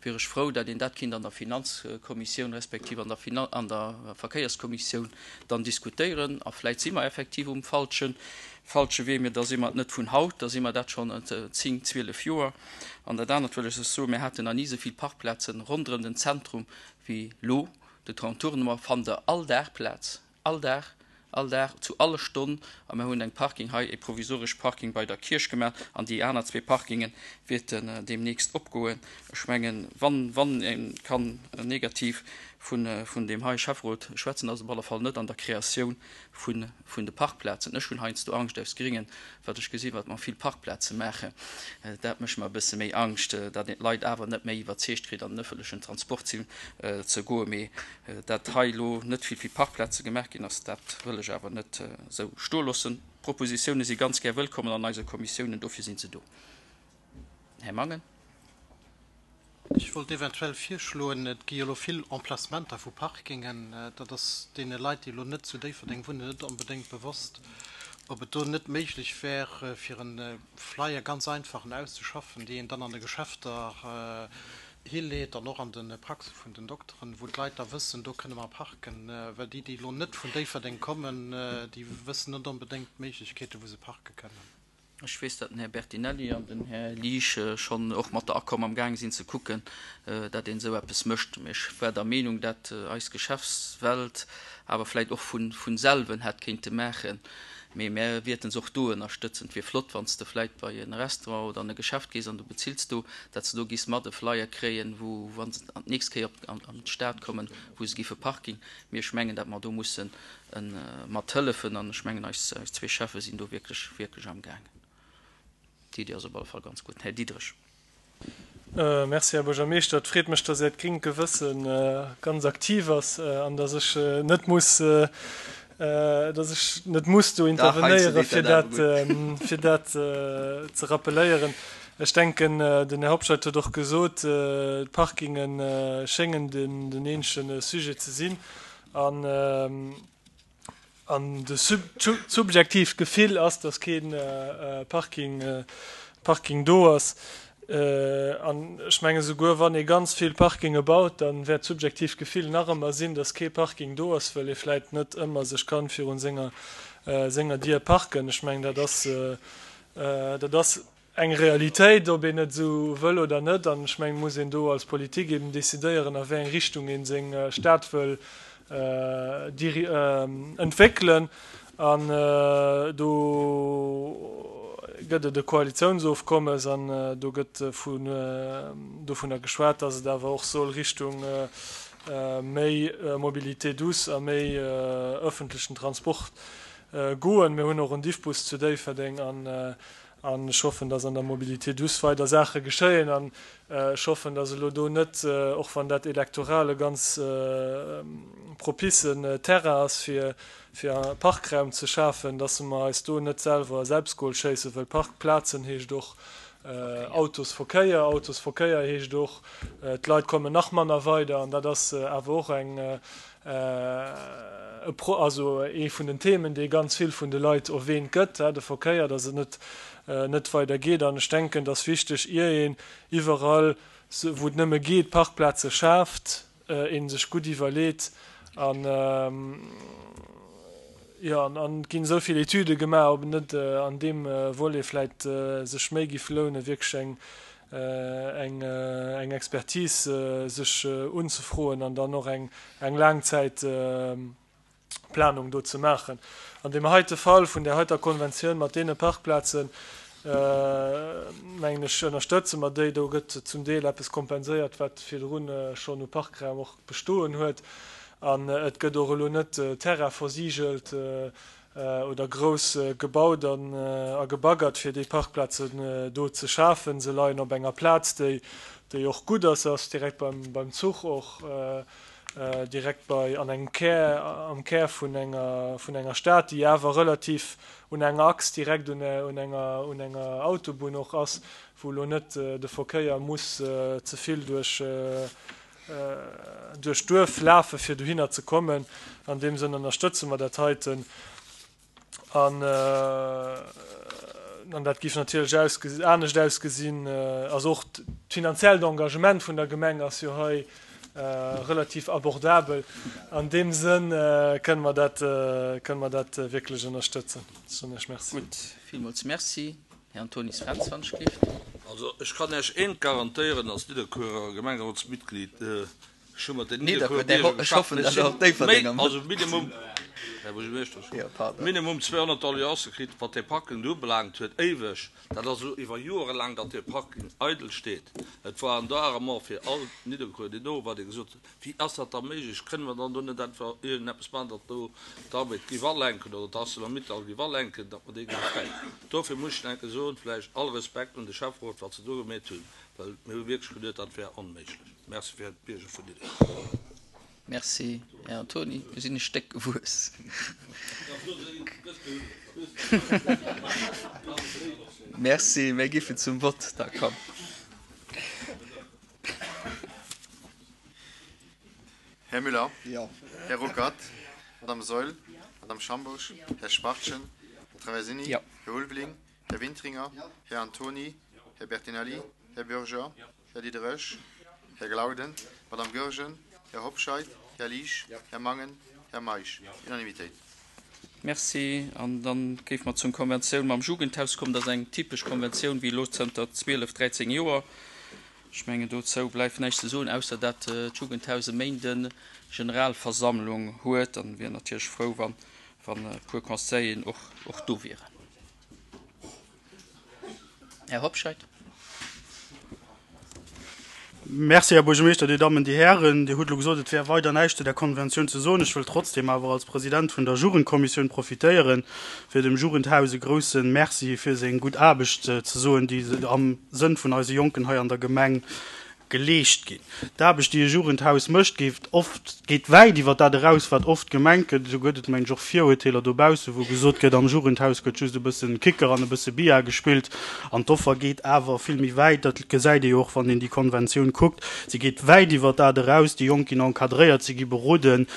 A: wier ech frou, datt een dat kinnt an der Finanzkommissioun respektiv an der an der Verkéierskommissioun dann diskutéieren. A vläit si mer effektiv um falsche falsche Wee, mee da si mer et net vun haut, da si mer dat schonn 10, 12 Joer. An dat anert wëll ech lech soen, Mir haten nach ni esou vill Parkplazen ronderëm den Zentrum wéi elo. De Contournement fannt der all Dag Plaz, all Dag, all Dag, zu alle Stonn. A mir hunn eng Parking hei, e provisoresch Parking bei der Kierch gemaach an déi aner zwee Parkinge wäerten deemnächst opgoen. Ech mengen, wann, wann ee kann negativ vun, vun deem hei Schäfferot schwätzen, ass et op alle Fall net an der Kreatioun vun, vun de Parkplazen. Ech hunn heiansdo Angscht aus Gringen, wat ech gesinn, wat mer vill Parkplaze maachen. Dat mécht mer e bësse méi Angscht, datt een d'Leit awer net méi iwwerzeegt kritt, an den ëffentlechen Transport ze goen. Mee dat hei elo net vill vill Parkplaze gemaach ginn ass, dat wëll ech awer net esou stoe loossen. Propositioune si ganz gär wëllkommen an eise Kommissiounen, dofir si se do. Här Mangen.
N: Ech wollt eventuell virschloen, et gi jo elo vill Emplacementer vu Parkingen, dat ass deene Leit, déi elo net zu Déifferdeng wunnen, net onbedéngt bewosst, ob et do net méiglech wär, fir e Flyer, ganz einfachen, auszeschaffen, déi een dann an de Geschäfter hileet an och an de Praxe vun den Dokteren, wou d'Leit da wëssen, do kënne mer parken. Well déi, déi elo net vun Déifferdeng kommen, déi wëssen net onbedéngt d'Méiglechkeeten, wou se parke kënnen.
A: Ech weess, datt den Här Bertinelli an den Här Liesch schonn och mat der Acom am gaang sinn ze kucken, datt een esou eppes mécht. Mee ech war der Meenung, datt eis Geschäftswelt awer vläicht och vu selwen hätt kéinte maachen. Mee mär wierten se och do ënnerstëtzen. Et wier flott, wann s de vläit bei e Restaurant oder an e Geschäft gees an du bezills do, dat se do giss mat e Flyer kréien, wou, wa se an d'nächst Kéier op an d'Stad kommen, wou se giffe Parking. Mee ech mengen, dat mer do mussen mat hëllefen an ech mengen, eis zwee Schäffe sinn do wierklech, wierklech amgaangen. D'Iddi ass op alle Fall ganz gutt. Här Diderich.
G: Merci, Här Buergermeeschter. Et freet mech, dass Äert gréngt Gewësse ganz aktiv ass an dass ech net muss, dass ech net muss do intervenéieren, fir dat, fir dat ze rappeléieren. Ech denken, den Här Hobscheit huet och gesot, d'Parkinge schéngen den eenzege Sujet ze sinn. An An de subjektiivt Gefill ass, datt kee Parking Parking do ass. An ech menge souguer wann ee ganz vill Parkinge baut, da wäert d'subjektiivt Gefill nach ëmmer sinn, datt kee Parking do ass, well ee vläit net ëmmer sech kann virun senger senger Dier parken. Ech mengen dat ass dat ass eng Realitéit, ob een et esou wëll oder net. An ech mengen, et muss een do als Politik eben decidéieren, a wéi eng Richtung ee seng Stad wëll entwéckelen. An do gëtt et e Koalitiounsofkommes an do gëtt dovunner geschwat, datt et awer och soll Richtung méi Mobilité douce a méi öffentlechen Transport goen. Mir hunn och en Diffbus zu Déifferdeng an An ech hoffen, dass an der Mobilité douce weider Saache geschéien. An ech hoffen, dass elo do net, och wann dat elektoral e ganz propicen Terrain ass, fir Parkraum ze schafen, dass mer eis do net selwer e Selbstgol schéissen, well Parkplazen heescht och Autosverkéier, Autosverkéier heescht och, d'Leit kommen nach manner weider. An dat ass awer och eng e Pro, also ee vun den Themen, dee ganz vill vun de Leit erwähnt gëtt, de Verkéier, datt et net, net weider geet. An ech denken, et ass wichteg, ier een iwwerall, wou et nëmme geet, Parkplaze schaaft, ee sech gutt iwwerleet an, jo, an et ginn esou vill Etüde gemaach, ob et net an deem Volet vläicht sech méi giff lounen, wierklech eng, eng Expertise sech unzefroen an dann och eng Laangzäitplanung do ze maachen. An deem heite Fall vun där heiter Konventioun mat deene Parkplazen, mengen ech, ënnerstëtze mer déi. Do gëtt zum Deel eppes kompenséiert, wat virdrun schonn u Parkraum och bestoen huet. An et gëtt och elo net Terrain versigelt oder grouss gebaut an a gebaggert fir déi Parkplazen do ze schafen. Se leien op enger Plaz déi déi och gutt ass, se ass direkt beim beim Zuch och direkt bei an engem Kär am Kär vun enger vun enger Stad déi awer relativ un enger Achs direkt un un enger un enger Autobunn och ass, wou elo net de Verkéier muss ze vill duerch duerch d'Duerf lafe fir dohinner ze kommen. An deem Sënn ënnerstëtze mer dat heiten. An an dat géif natierlech anescht ausgesinn. Also och d'finanziellt Engagement vun der Gemeng ass jo hei relativ abordabel. An deem Sënn kënne mer dat, kënne mer dat wierklech ënnerstëtzen. Ech soen Iech Merci.
A: Gutt, villmools Merci. Här Antonis Fränz, wann ech gleeft.
Q: Also ech kann Iech eent garantéieren als Nidderkuerer Gemengerotsmitglied, ech hu mat den Nidderkuerer Bierger geschafft, ech sinn méi, also minimum, Här Buergermeeschter, ech hu minimum 200 Doleancë kritt, wat dee Parking do ubelaangt huet, éiweg, dat ass elo iwwer Joere laang, datt dee Parking eidel steet. Et war en Darement fir all Nidderkuerer, déi do war, dee gesot huet, Wéi ass dat da méiglech? Kënne mer dann do net einfach iergendeppes maachen, datt do d'Arbed géif alenken oder d'Arcelor-Mittal géif alenken, datt mer déi géife kréien? Dofir muss ech enke soen, vläicht all Respekt un de Schäfferot, wat se do gemeet hunn, well mir hu wierklech geduet, dat wär onméiglech. Merci fir d'Bierger vun Diddeleng.
A: Merci, Här Antony. Mir sinn e Stéck gewuess. Merci. Mir géifen zum Vott da kommen.
H: Här Müller? Jo. Här Ruckert? Madame Saeul? Madame Schambourg? Här Schwachtgen? Här Traversini? Jo. Här Ulveling? Här Wintringer? Här Antony? Här Bertinelli? Här Bürger? Här Diderich? Här Glauden? Madame Goergen? Här Hobscheit? Här Liesch? Här Mangen? Här Meisch? Unanimitéit.
A: Merci. An da géife mer zum Konventioun mam Jugendhaus kommen. Dat ass eng typesch Konventioun wéi elo zënter 12, 13 Joer. Ech mengen, dozou bleift näischt ze soen, ausser dat d'Jugendhaus e Méinden Generalversammlung huet. An wier natierlech frou, wa. Wann e puer Conseilleren och, och do wieren. Här Hobscheit.
B: Merci, Här Buergermeeschter, Dir Dammen, Dir Hären. Dir hutt elo gesot, et wär weider näischt zu där Konventioun ze soen. Ech wëll trotzdem awer als President vun der Jugendkommissioun profitéieren, fir dem Jugendhaus e grouse Merci fir seng gutt Aarbecht ze soen, déi am Sënn vun eise Jonken hei an der Gemeng geleescht ginn. D'Aarbecht, déi e Jugendhaus mécht, geet oft, geet wäit iwwer dat eraus, wat oft gemengt gëtt. Esou gëtt et, mengen ech, och Virurteeler dobaussen, wou gesot gëtt, am Jugendhaus gëtt just e bëssen Kicker an e bësse Billard gespillt. An d'Offer geet awer vill méi wäit. Dat gesäit ee jo och, wann een déi Konventioun kuckt. Se geet wäit iwwer dat eraus. Déi Jonk ginn encadréiert, si gi beroden,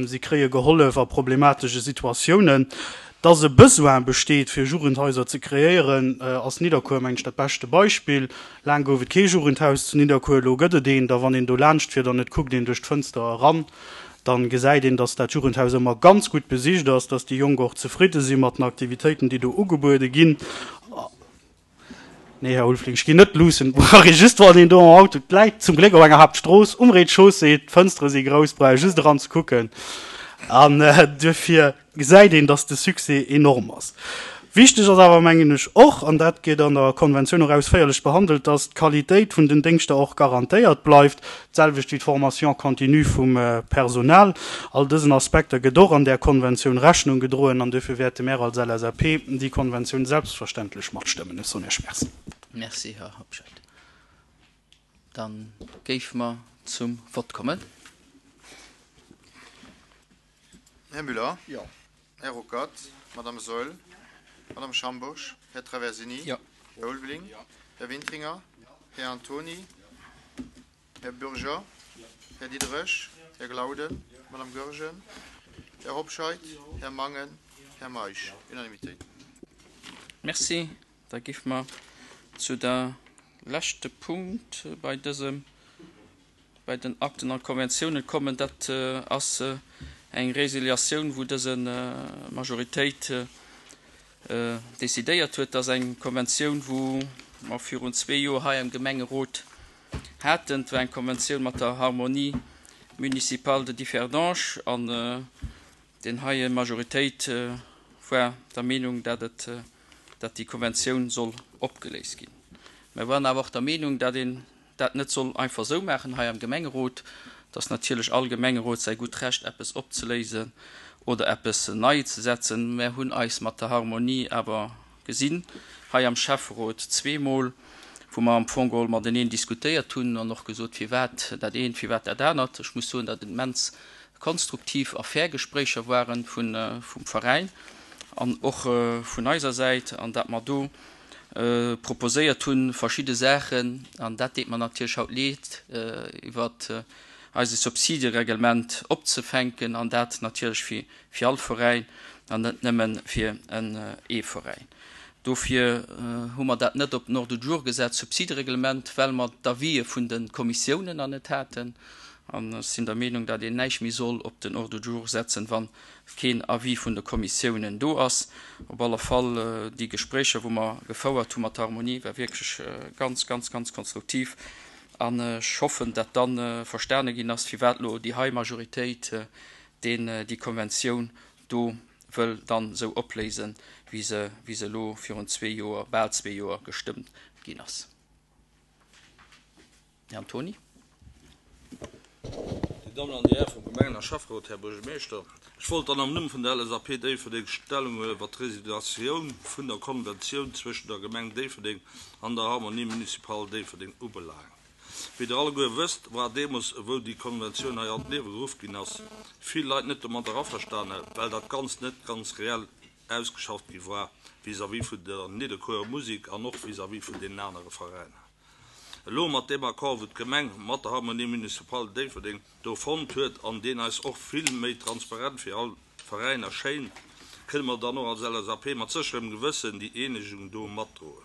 B: si kréie gehollef a problematesche Situatiounen. Dass e Besoin besteet, fir Jugendhaiser ze kreéieren, ass Nidderkuer, mengen ech, dat beschte Beispill. Laang gouf et kee Jugendhaus zu Nidderkuer, elo gëtt et eent. A wann een do laanscht fiert an et kuckt een duerch d'Fënster eran, da gesäit een, dass dat Jugendhaus ëmmer ganz gutt besicht ass, dass déi Jonk och zefridde si mat den Aktivitéiten, déi do ugebuede ginn. Nee, Här Ulfling, ech ginn net luussen. Et brauch ee just, wann een do am Auto, et läit zum Gléck op enger Haaptstrooss, um Rez-de-chaussée, d'Fënstere si grouss, brauch ee just eran ze kucken. An duerfir gesäit een, dass de Succès enorm ass. Wichteg ass awer, mengen ech, och, an dat gétt an der Konventioun och ausféierlech behandelt, dass d'Qualitéit vun den Déngschter och garantéiert bleift, d'selwecht wéi d'Formation continue vum Personal. All dësen Aspekter gëtt och an där Konventioun Rechnung gedroen an duerfir wäerte mär als LSAP déi Konventioun selbstverständlech matstëmmen. Ech soen Iech Merci.
A: Merci, Här Hobscheit. Da géife mer zum Vott kommen.
H: Här Müller. Jo. Här Ruckert. Madame Saeul. Madame Schambourg. Här Traversini. Jo. Här Ulveling. Jo. Här Wintringer. Här Antoni. Här Bürger. Här Diderich. Här Glauden. Madame Goergen. Här Hobscheit. Här Mangen. Här Meisch. Unanimitéit.
A: Merci. Da géife mer zu der leschte Punkt bei dësem bei den Akten an Konventiounen kommen. Dat ass eng Résiliatioun, wou dëse Majoritéit decidéiert huet. Dat ass eng Konventioun, wou mer virun zwee Joer hei am Gemengerot haten. Et war eng Konventioun mat der Harmonie municipale de Differdange an deen heie Majoritéit war der Meenung, dat et, dat déi Konventioun soll opgeléist ginn. Mer waren awer och der Meenung, dat een dat net soll einfach esou maachen hei am Gemengerot, dass natierlech all Gemengerot säi gutt Recht eppes opzeléisen oder eppes nei ze setzen. Mer hunn eis mat der Harmonie awer gesinn hei am Schäfferot zweemol, wou mer am Fong geholl mateneen diskutéiert hunn an och gesot, firwat dat eent, firwat dat anert. Ech muss soen, datt et immens konstruktiv a fair Gespréicher waren vum Veräin an och vun eiser Säit an dat mer do proposéiert hunn, verschidde Saachen, an dat deet mer natierlech haut leed, iwwer eise Subsidereglement opzefänken an dat natierlech fir fir all Veräin an net nëmme fir ee Veräin. Dofir hu mer dat net op den Ordre du jour gesat, Subsidereglement, well mer d'Avisë vun de Kommissiounen nach net haten. An ech sinn der Meenung, datt een näischt méi soll op den Ordre du jour setzen, wann keen Avis vun de Kommissiounen do ass. Op alle Fall, déi Gespréicher, wou mer gefouert hu mat der Harmonie, war wierklech ganz, ganz, ganz konstruktiv. An ech hoffen, datt da verstane ginn ass, firwat elo déi hei Majoritéit deen déi Konventioun do wëll dann esou opléisen, wéi se, wéi se elo virun zwee Joer, bal zwee Joer gestëmmt ginn ass. Här Antoni.
Q: Dir Dammen an Dir Häre vum Gemengen a Schäfferot, Här Buergermeeschter, ech wollt dann am Numm vun der LSAP Déifferdeng Stellung huelen iwwert d'Resiliatioun vun der Konventioun zwëschen der Gemeng Déifferdeng an der Harmonie municipale Déifferdeng ubelaangt. Wéi Der alleguer wësst, war deemools, wou déi Konventioun hei an d'Liewe geruff ginn ass, vill Leit net domadder averstane, well dat Ganzt net ganz reell ausgeschafft gi war vis-à-vis vun der Nidderkuerer Musik an och vis-à-vis vun deenen anere Veräiner. Elo mat deem Accord, wou d'Gemeng mat der Harmonie municipale Déifferdeng do fonnt huet an deen eis och vill méi transparent fir all Veräiner schéint, kënne mer dann och als LSAP mat sécherem Gewëssen déi Eenegung do matdroen.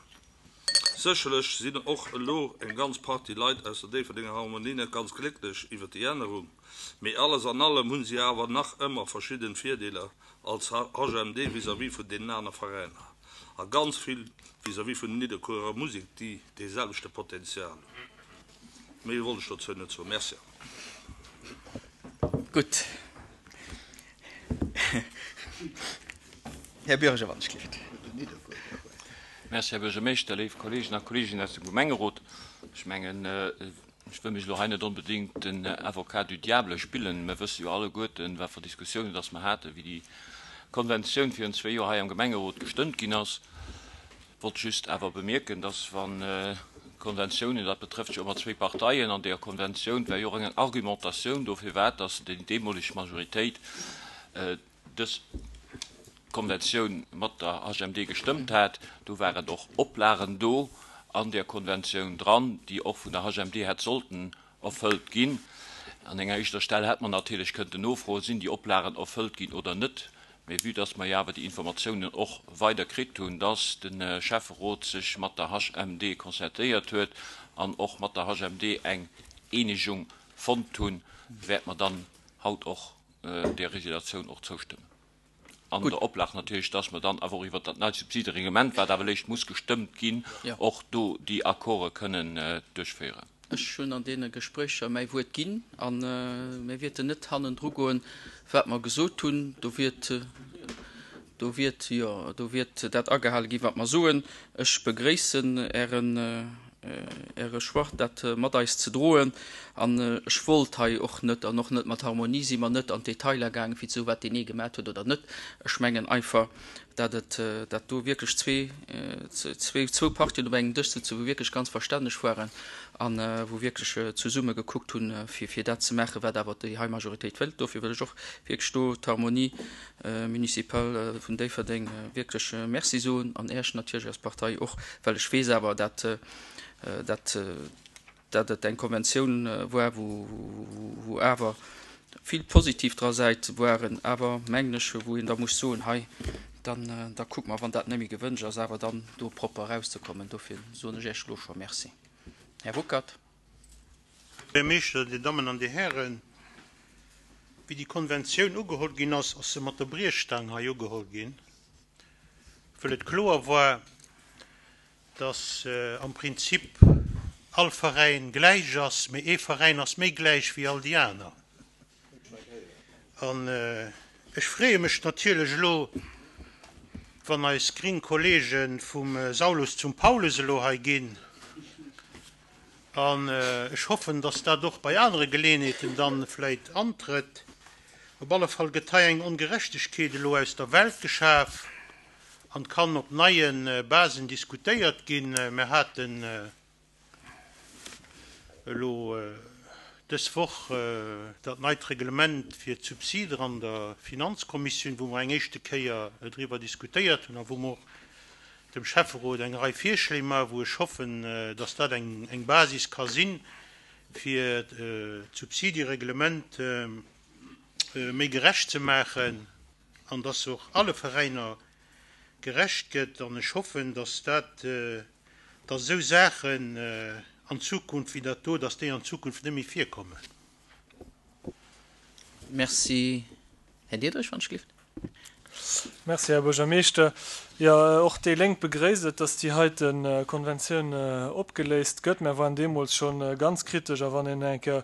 Q: Sécherlech sinn och elo eng ganz Partie Leit aus der Déifferdenger Harmonie net ganz glécklech iwwer déi Ännerung, mee alles an allem hu si awer nach ëmmer verschidden Virdeeler als HMD vis-à-vis vun deenen aner Veräiner a ganz vill vis-à-vis vun der Nidderkuerer Musek, déi dee selwechte Potenzial hunn. Méi wollt ech dozou net soen. Merci.
A: Gutt.
R: Här Bürger, wann ech gleeft.
S: Merci, Här Buergermeeschter, léif Kolleegen a Kolleeginnen aus dem Gemengerot. Ech mengen, ech wëll mech elo hei net onbedéngt den Avocat du diable spillen. Mir wësse jo alleguerten, wat fir Diskussiounen dass mer haten, wéi déi Konventioun virun zwee Joer hei am Gemengerot gestëmmt ginn ass. Wollt just awer bemierken, dass wann d'Konventiounen, dat betrëfft jo ëmmer zwéi Parteien, an deeër Konventioun war jo och eng Argumentatioun do, firwat dass déi deemoleg Majoritéit dës Konventioun mat der HMD gestëmmt hat. Do waren och Oplagen do an där Konventioun dran, déi och vun der HMD hätt sollten erfëllt ginn. An enger éischter Stell hätt mer natierlech kënnten nofroen, Sinn déi Oplagen erfëllt ginn oder net? Mee vue dass mer jo awer déi Informatiounen och weider kritt hunn, dass de Schäfferot sech mat der HMD concertéiert huet an och mat der HMD eng Eenegung fonnt hunn, wäerte mer dann haut och där Résiliatioun och zoustëmmen. An der Oplag natierlech, dass mer dann awer och iwwert dat neit Subsidereglement, wat awer léischt muss gestëmmt ginn, och do déi Accorde kënnen duerchféieren.
A: Ech hunn an deene Gespréicher mäi Wuert ginn a mir wierten net hannendru goen, wat mer gesot hunn. Do wiert, do wiert, jo, do wiert dat agehale ginn, wat mer soen. Ech begréissen Ären, Äre Choix, dat mat eis ze droen. An ech wollt hei och net, an och net mat Harmonie si mer net an d'Detailer gaangen, fir ze soen, wat deen ee gemat huet oder net. Ech mengen einfach, dat et, dat do wierklech zwee, zwee, zwou Partien op engem Dësch sëtzen, wou wierklech ganz verstänneg waren a wou wierklech zesumme gekuckt hunn, fir, fir dat ze maachen, wat awer déi hei Majoritéit wëllt. Dofir wëll ech och wierklech do d'Harmonie municipale vun Déifferdeng wierklech Merci soen an Äech natierlech als Partei och, well ech weess awer, dat, dat, dat et eng Konventioun war, wou, wou awer vill positiv dra Säite waren, awer, mengen ech, wou een da muss soen, hei, dann, da kucke mer, wann dat net méi gewënscht ass, awer dann do propper erauszekommen. Dofir soen ech Iech elo scho Merci. Här Ruckert.
D: Här Buergermeeschter, Dir Dammen an Dir Hären, wéi déi Konventioun ugeholl ginn ass, ass se mat der Briechstaang hei ugeholl ginn, wëll et kloer war, dass am Prinzip all Veräin gläich ass, mee ee Veräin ass méi gläich wéi all déi aner. An ech freeë mech natierlech elo, wann eis gring Kollege vum Saulus zum Paulus elo hei ginn, An ech hoffen, dass dat och bei anere Geleeënheeten dann vläit antrëtt. Op alle Fall gëtt hei eng Ongerechtegkeet elo aus der Welt geschaf an kann op neie Basen diskutéiert ginn. Mir haten elo dës Woch dat neit Reglement fir d'Subsider an der Finanzkommissioun, wou mer eng éischte Kéier driwwer diskutéiert hunn a wou mer och dem Schäfferot eng Rei Virschléi maachen, wou ech hoffen, dass dat eng Basis ka sinn, fir d'Subsidiereglement méi gerecht ze maachen an dass och alle Veräiner gerecht gëtt. An ech hoffen, dass dat, dass esou Saachen an Zukunft wéi dat do, dass déi an Zukunft net méi virkommen.
A: Merci, Här Diederich, wann ech gelift.
G: Merci, Här Buergermeeschter. Jo, och déi Lénk begréisst et, dass déi heite Konventioun opgeléist gëtt. Mär waren deemools scho ganz kritesch. A wann een eng Kéier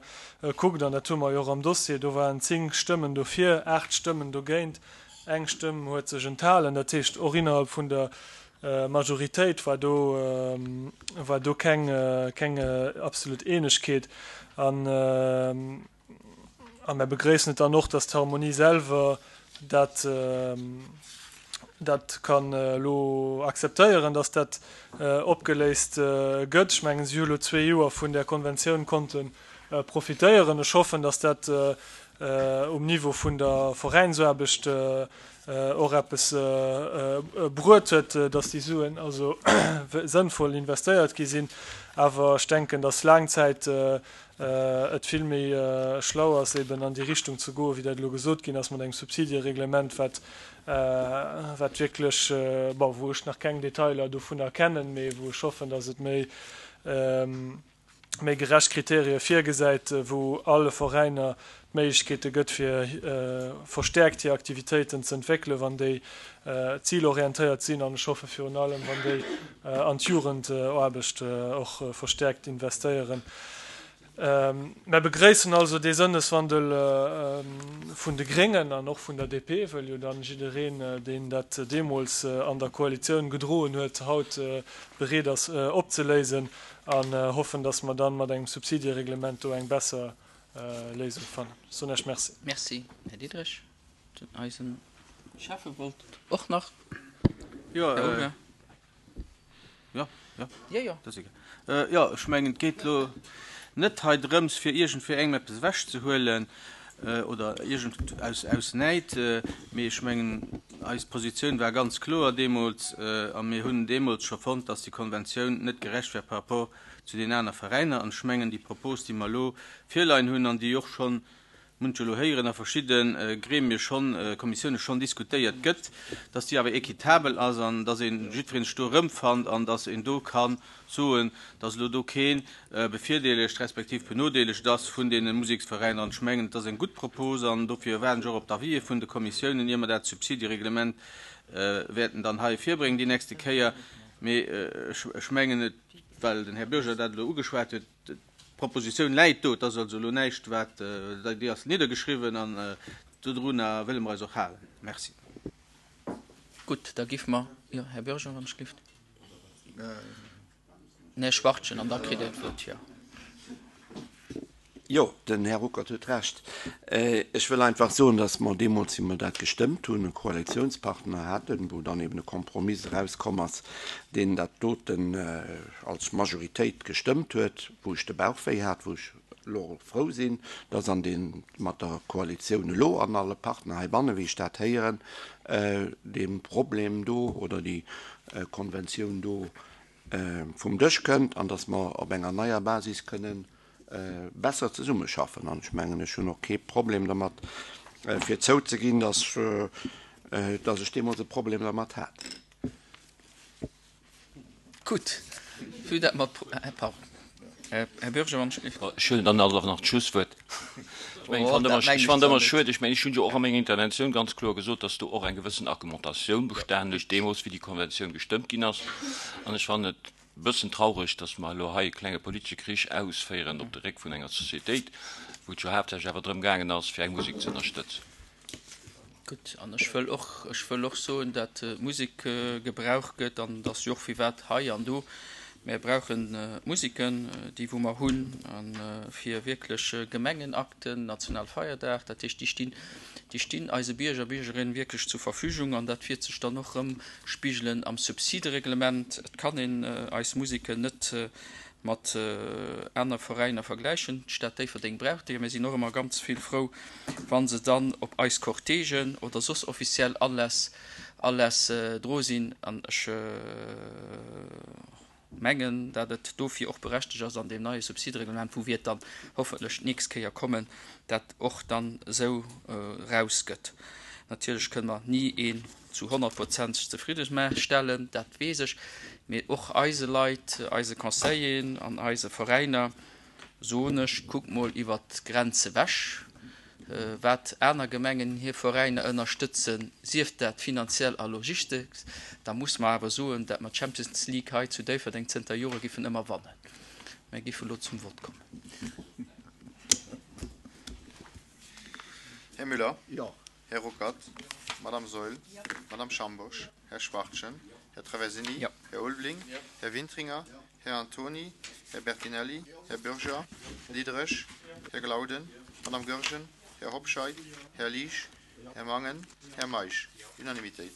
G: kuckt, an dat hu mer jo och am Dossier, do waren 10 Stëmmen dofir, 8 Stëmmen dogéint, eng Stëmm huet sech enthalen. Dat heescht, och innerhalb vun der Majoritéit war do, war do keng, keng absolut Eenegkeet. An, A mär begréissen et dann och, dass d'Harmonie selwer dat, dat kann elo akzeptéieren, dass dat opgeléist gëtt. Ech mengen, si hu elo zwee Joer vun där Konventioun konnte profitéieren. Ech hoffen, dass dat um Niveau vun der Veräinsaarbecht och eppes bruet huet, dass déi Suen also sënnvoll investéiert gi sinn. Awer ech denken, dass laang Zäit et vill méi schlau ass, eben an déi Richtung ze goen, wéi dat elo gesot ginn ass, mat engem Subsidiereglement, wat, wat wierklech, bon, wou ech nach keng Detailer dovunner kennen, mee wou ech hoffen, dass et méi, méi gerecht Kriterie virgesäit, wou alle Veräiner d'Méiglechkeete gëtt, fir verstäerkt hir Aktivitéiten ze entwéckelen, wann déi zilorientéiert sinn, an ech hoffe virun allem, wann déi an d'Jugendaarbecht och verstäerkt investéieren. Mär begréissen also dee Sënneswandel vun de Gréngen an och vun der DP, wëll jo dann jiddereen, deen dat deemools an der Koalitioun gedroen huet, haut bereet ass opzeléisen, an hoffen, dass mer dann mat engem Subsidiereglement do eng besser Léisung fannen. Ech soen Iech Merci.
A: Merci, Här Diderich. Den eisen Schäffe wollt och nach.
M: Jo, Här Olinger. Jo, jo. Jo, jo. Dat ass egal. Jo, ech mengen, et geet elo net hei drëms, fir iergendwéi engem eppes ewechzehuelen oder iergend aus, aus Näid, mee ech mengen, eis Positioun war ganz kloer deemools a mir hunn deemools scho fonnt, dass déi Konventioun net gerecht war par rapport zu den aner Veräiner. An ech mengen, déi Propos, déi mer elo virleien hunn an déi och schonn Mir hunn et jo elo héieren, a verschidde Gremie schonn, Kommissioune schonn diskutéiert gëtt, dass déi awer équitabel ass an dass ee jiddweree sech do erëmfannt an dass een do ka soen, dass elo do kee bevirdeelegt respektiv benodeelegt ass vun deene Museksveräiner. An ech mengen, et ass eng gutt Propos an dofir waarden ech och op d'Avisë vun de Kommissiounen, ier mer dat Subsidiereglement wäerten dann hei virbréngen déi nächste Kéier. Mee ech mengen et, well den Här Bürger dat elo ugeschwat huet, D'Propositioun läit do. Et ass also elo näischt, wat, déi ass niddergeschriwwen an dodrunner wëlle mer eis och halen. Merci.
A: Gutt, da giff mer, jo, Här Bürger, wann ech gelift. Den Här Schwachtgen an da kritt Dir d'Wuert, jo.
E: Jo, den Här Ruckert huet Recht. Ech wëll einfach soen, dass mer deemools, wéi mer dat gestëmmt hunn, e Koalitionspartner haten, wou dann eben e Kompromiss erauskomm ass, deen dat doten als Majoritéit gestëmmt huet, wou ech de Bauch wéi hat, wou ech elo och frou sinn, dass an dee mat der Koalitioun elo an alle Partner heibannen, wéi ech dat héieren, dee Problem do oder déi Konventioun do vum Dësch kënnt an dass mer op enger neier Basis kënnen besser zesummeschaffen. An ech mengen, ech hunn och kee Problem dermat, fir zouzeginn, dass, dass ech deemools e Problem dermat hat.
A: Gutt, vue dat mer, pardon, Här Bürger, wann ech.
S: Ech huelen dann alt awer nach d'Schlusswuert. Ech mengen, ech fand ëmmer, ech fand ëmmer schued, ech mengen, ech hunn jo och a menger Interventioun ganz kloer gesot, dass do och eng gewëssen Argumentatioun bestanen huet, deemools, wéi déi Konventioun gestëmmt ginn ass. An ech fannen et bëssen traureg, dass mer elo hei e klenge politesche Krich ausféieren op de Réck vun enger Societéit, wou et jo haaptsächlech awer drëm gaangen ass, fir eng Musek ze ënnerstëtzen.
A: Gutt, an ech wëll och, ech wëll och soen, dat d'Musek gebraucht gëtt, an et ass jo och firwat hei an do. Mär brauchen d'Museken, déi wou mer hunn, a fir wierklech Gemengenakten, Nationalfeierdag, dat heescht, déi stinn, déi stinn eise Bierger, Biergerinnen wierklech zur Verfügung an dat wiert sech dann och erëm spigelen am Subsidereglement. Et kann een eis Museken net mat aner Veräiner vergläichen. D'Stad Déifferdeng brauch déi a mir sinn och ëmmer ganz vill frou, wa se dann op eis Cortègen oder soss offiziell Aläss Aläss dro sinn. An ech mengen, dat et dofir och berechtegt ass an deem neie Subsidereglement, wou wiert dann hoffentlech d'nächst Kéier kommen, dat och dann esou erausgëtt. Natierlech kënne mer ni een zu 100 Prozent zefridde stellen, dat weess ech, mee och eise Leit, eise Conseilleren an eise Veräiner soen ech, kuckt mol iwwert d'Grenz ewech, wat aner Gemengen hir Veräiner ënnerstëtzen, sief dat finanziell a logistesch, da muss mer awer soen, dat mer d'Champions League hei zu Déifferdeng zënter Jore giffen ëmmer wannen. Mer giffen elo zum Vott kommen.
H: Här Müller. Jo. Här Ruckert. Madame Saeul. Madame Schambourg. Här Schwachtgen. Här Traversini. Här Ulveling. Här Wintringer. Här Antoni. Här Bertinelli. Här Bürger. Här Diderich. Här Glauden. Madame Goergen. Här Hobscheit. Här Liesch. Här Mangen. Här Meisch. Unanimitéit.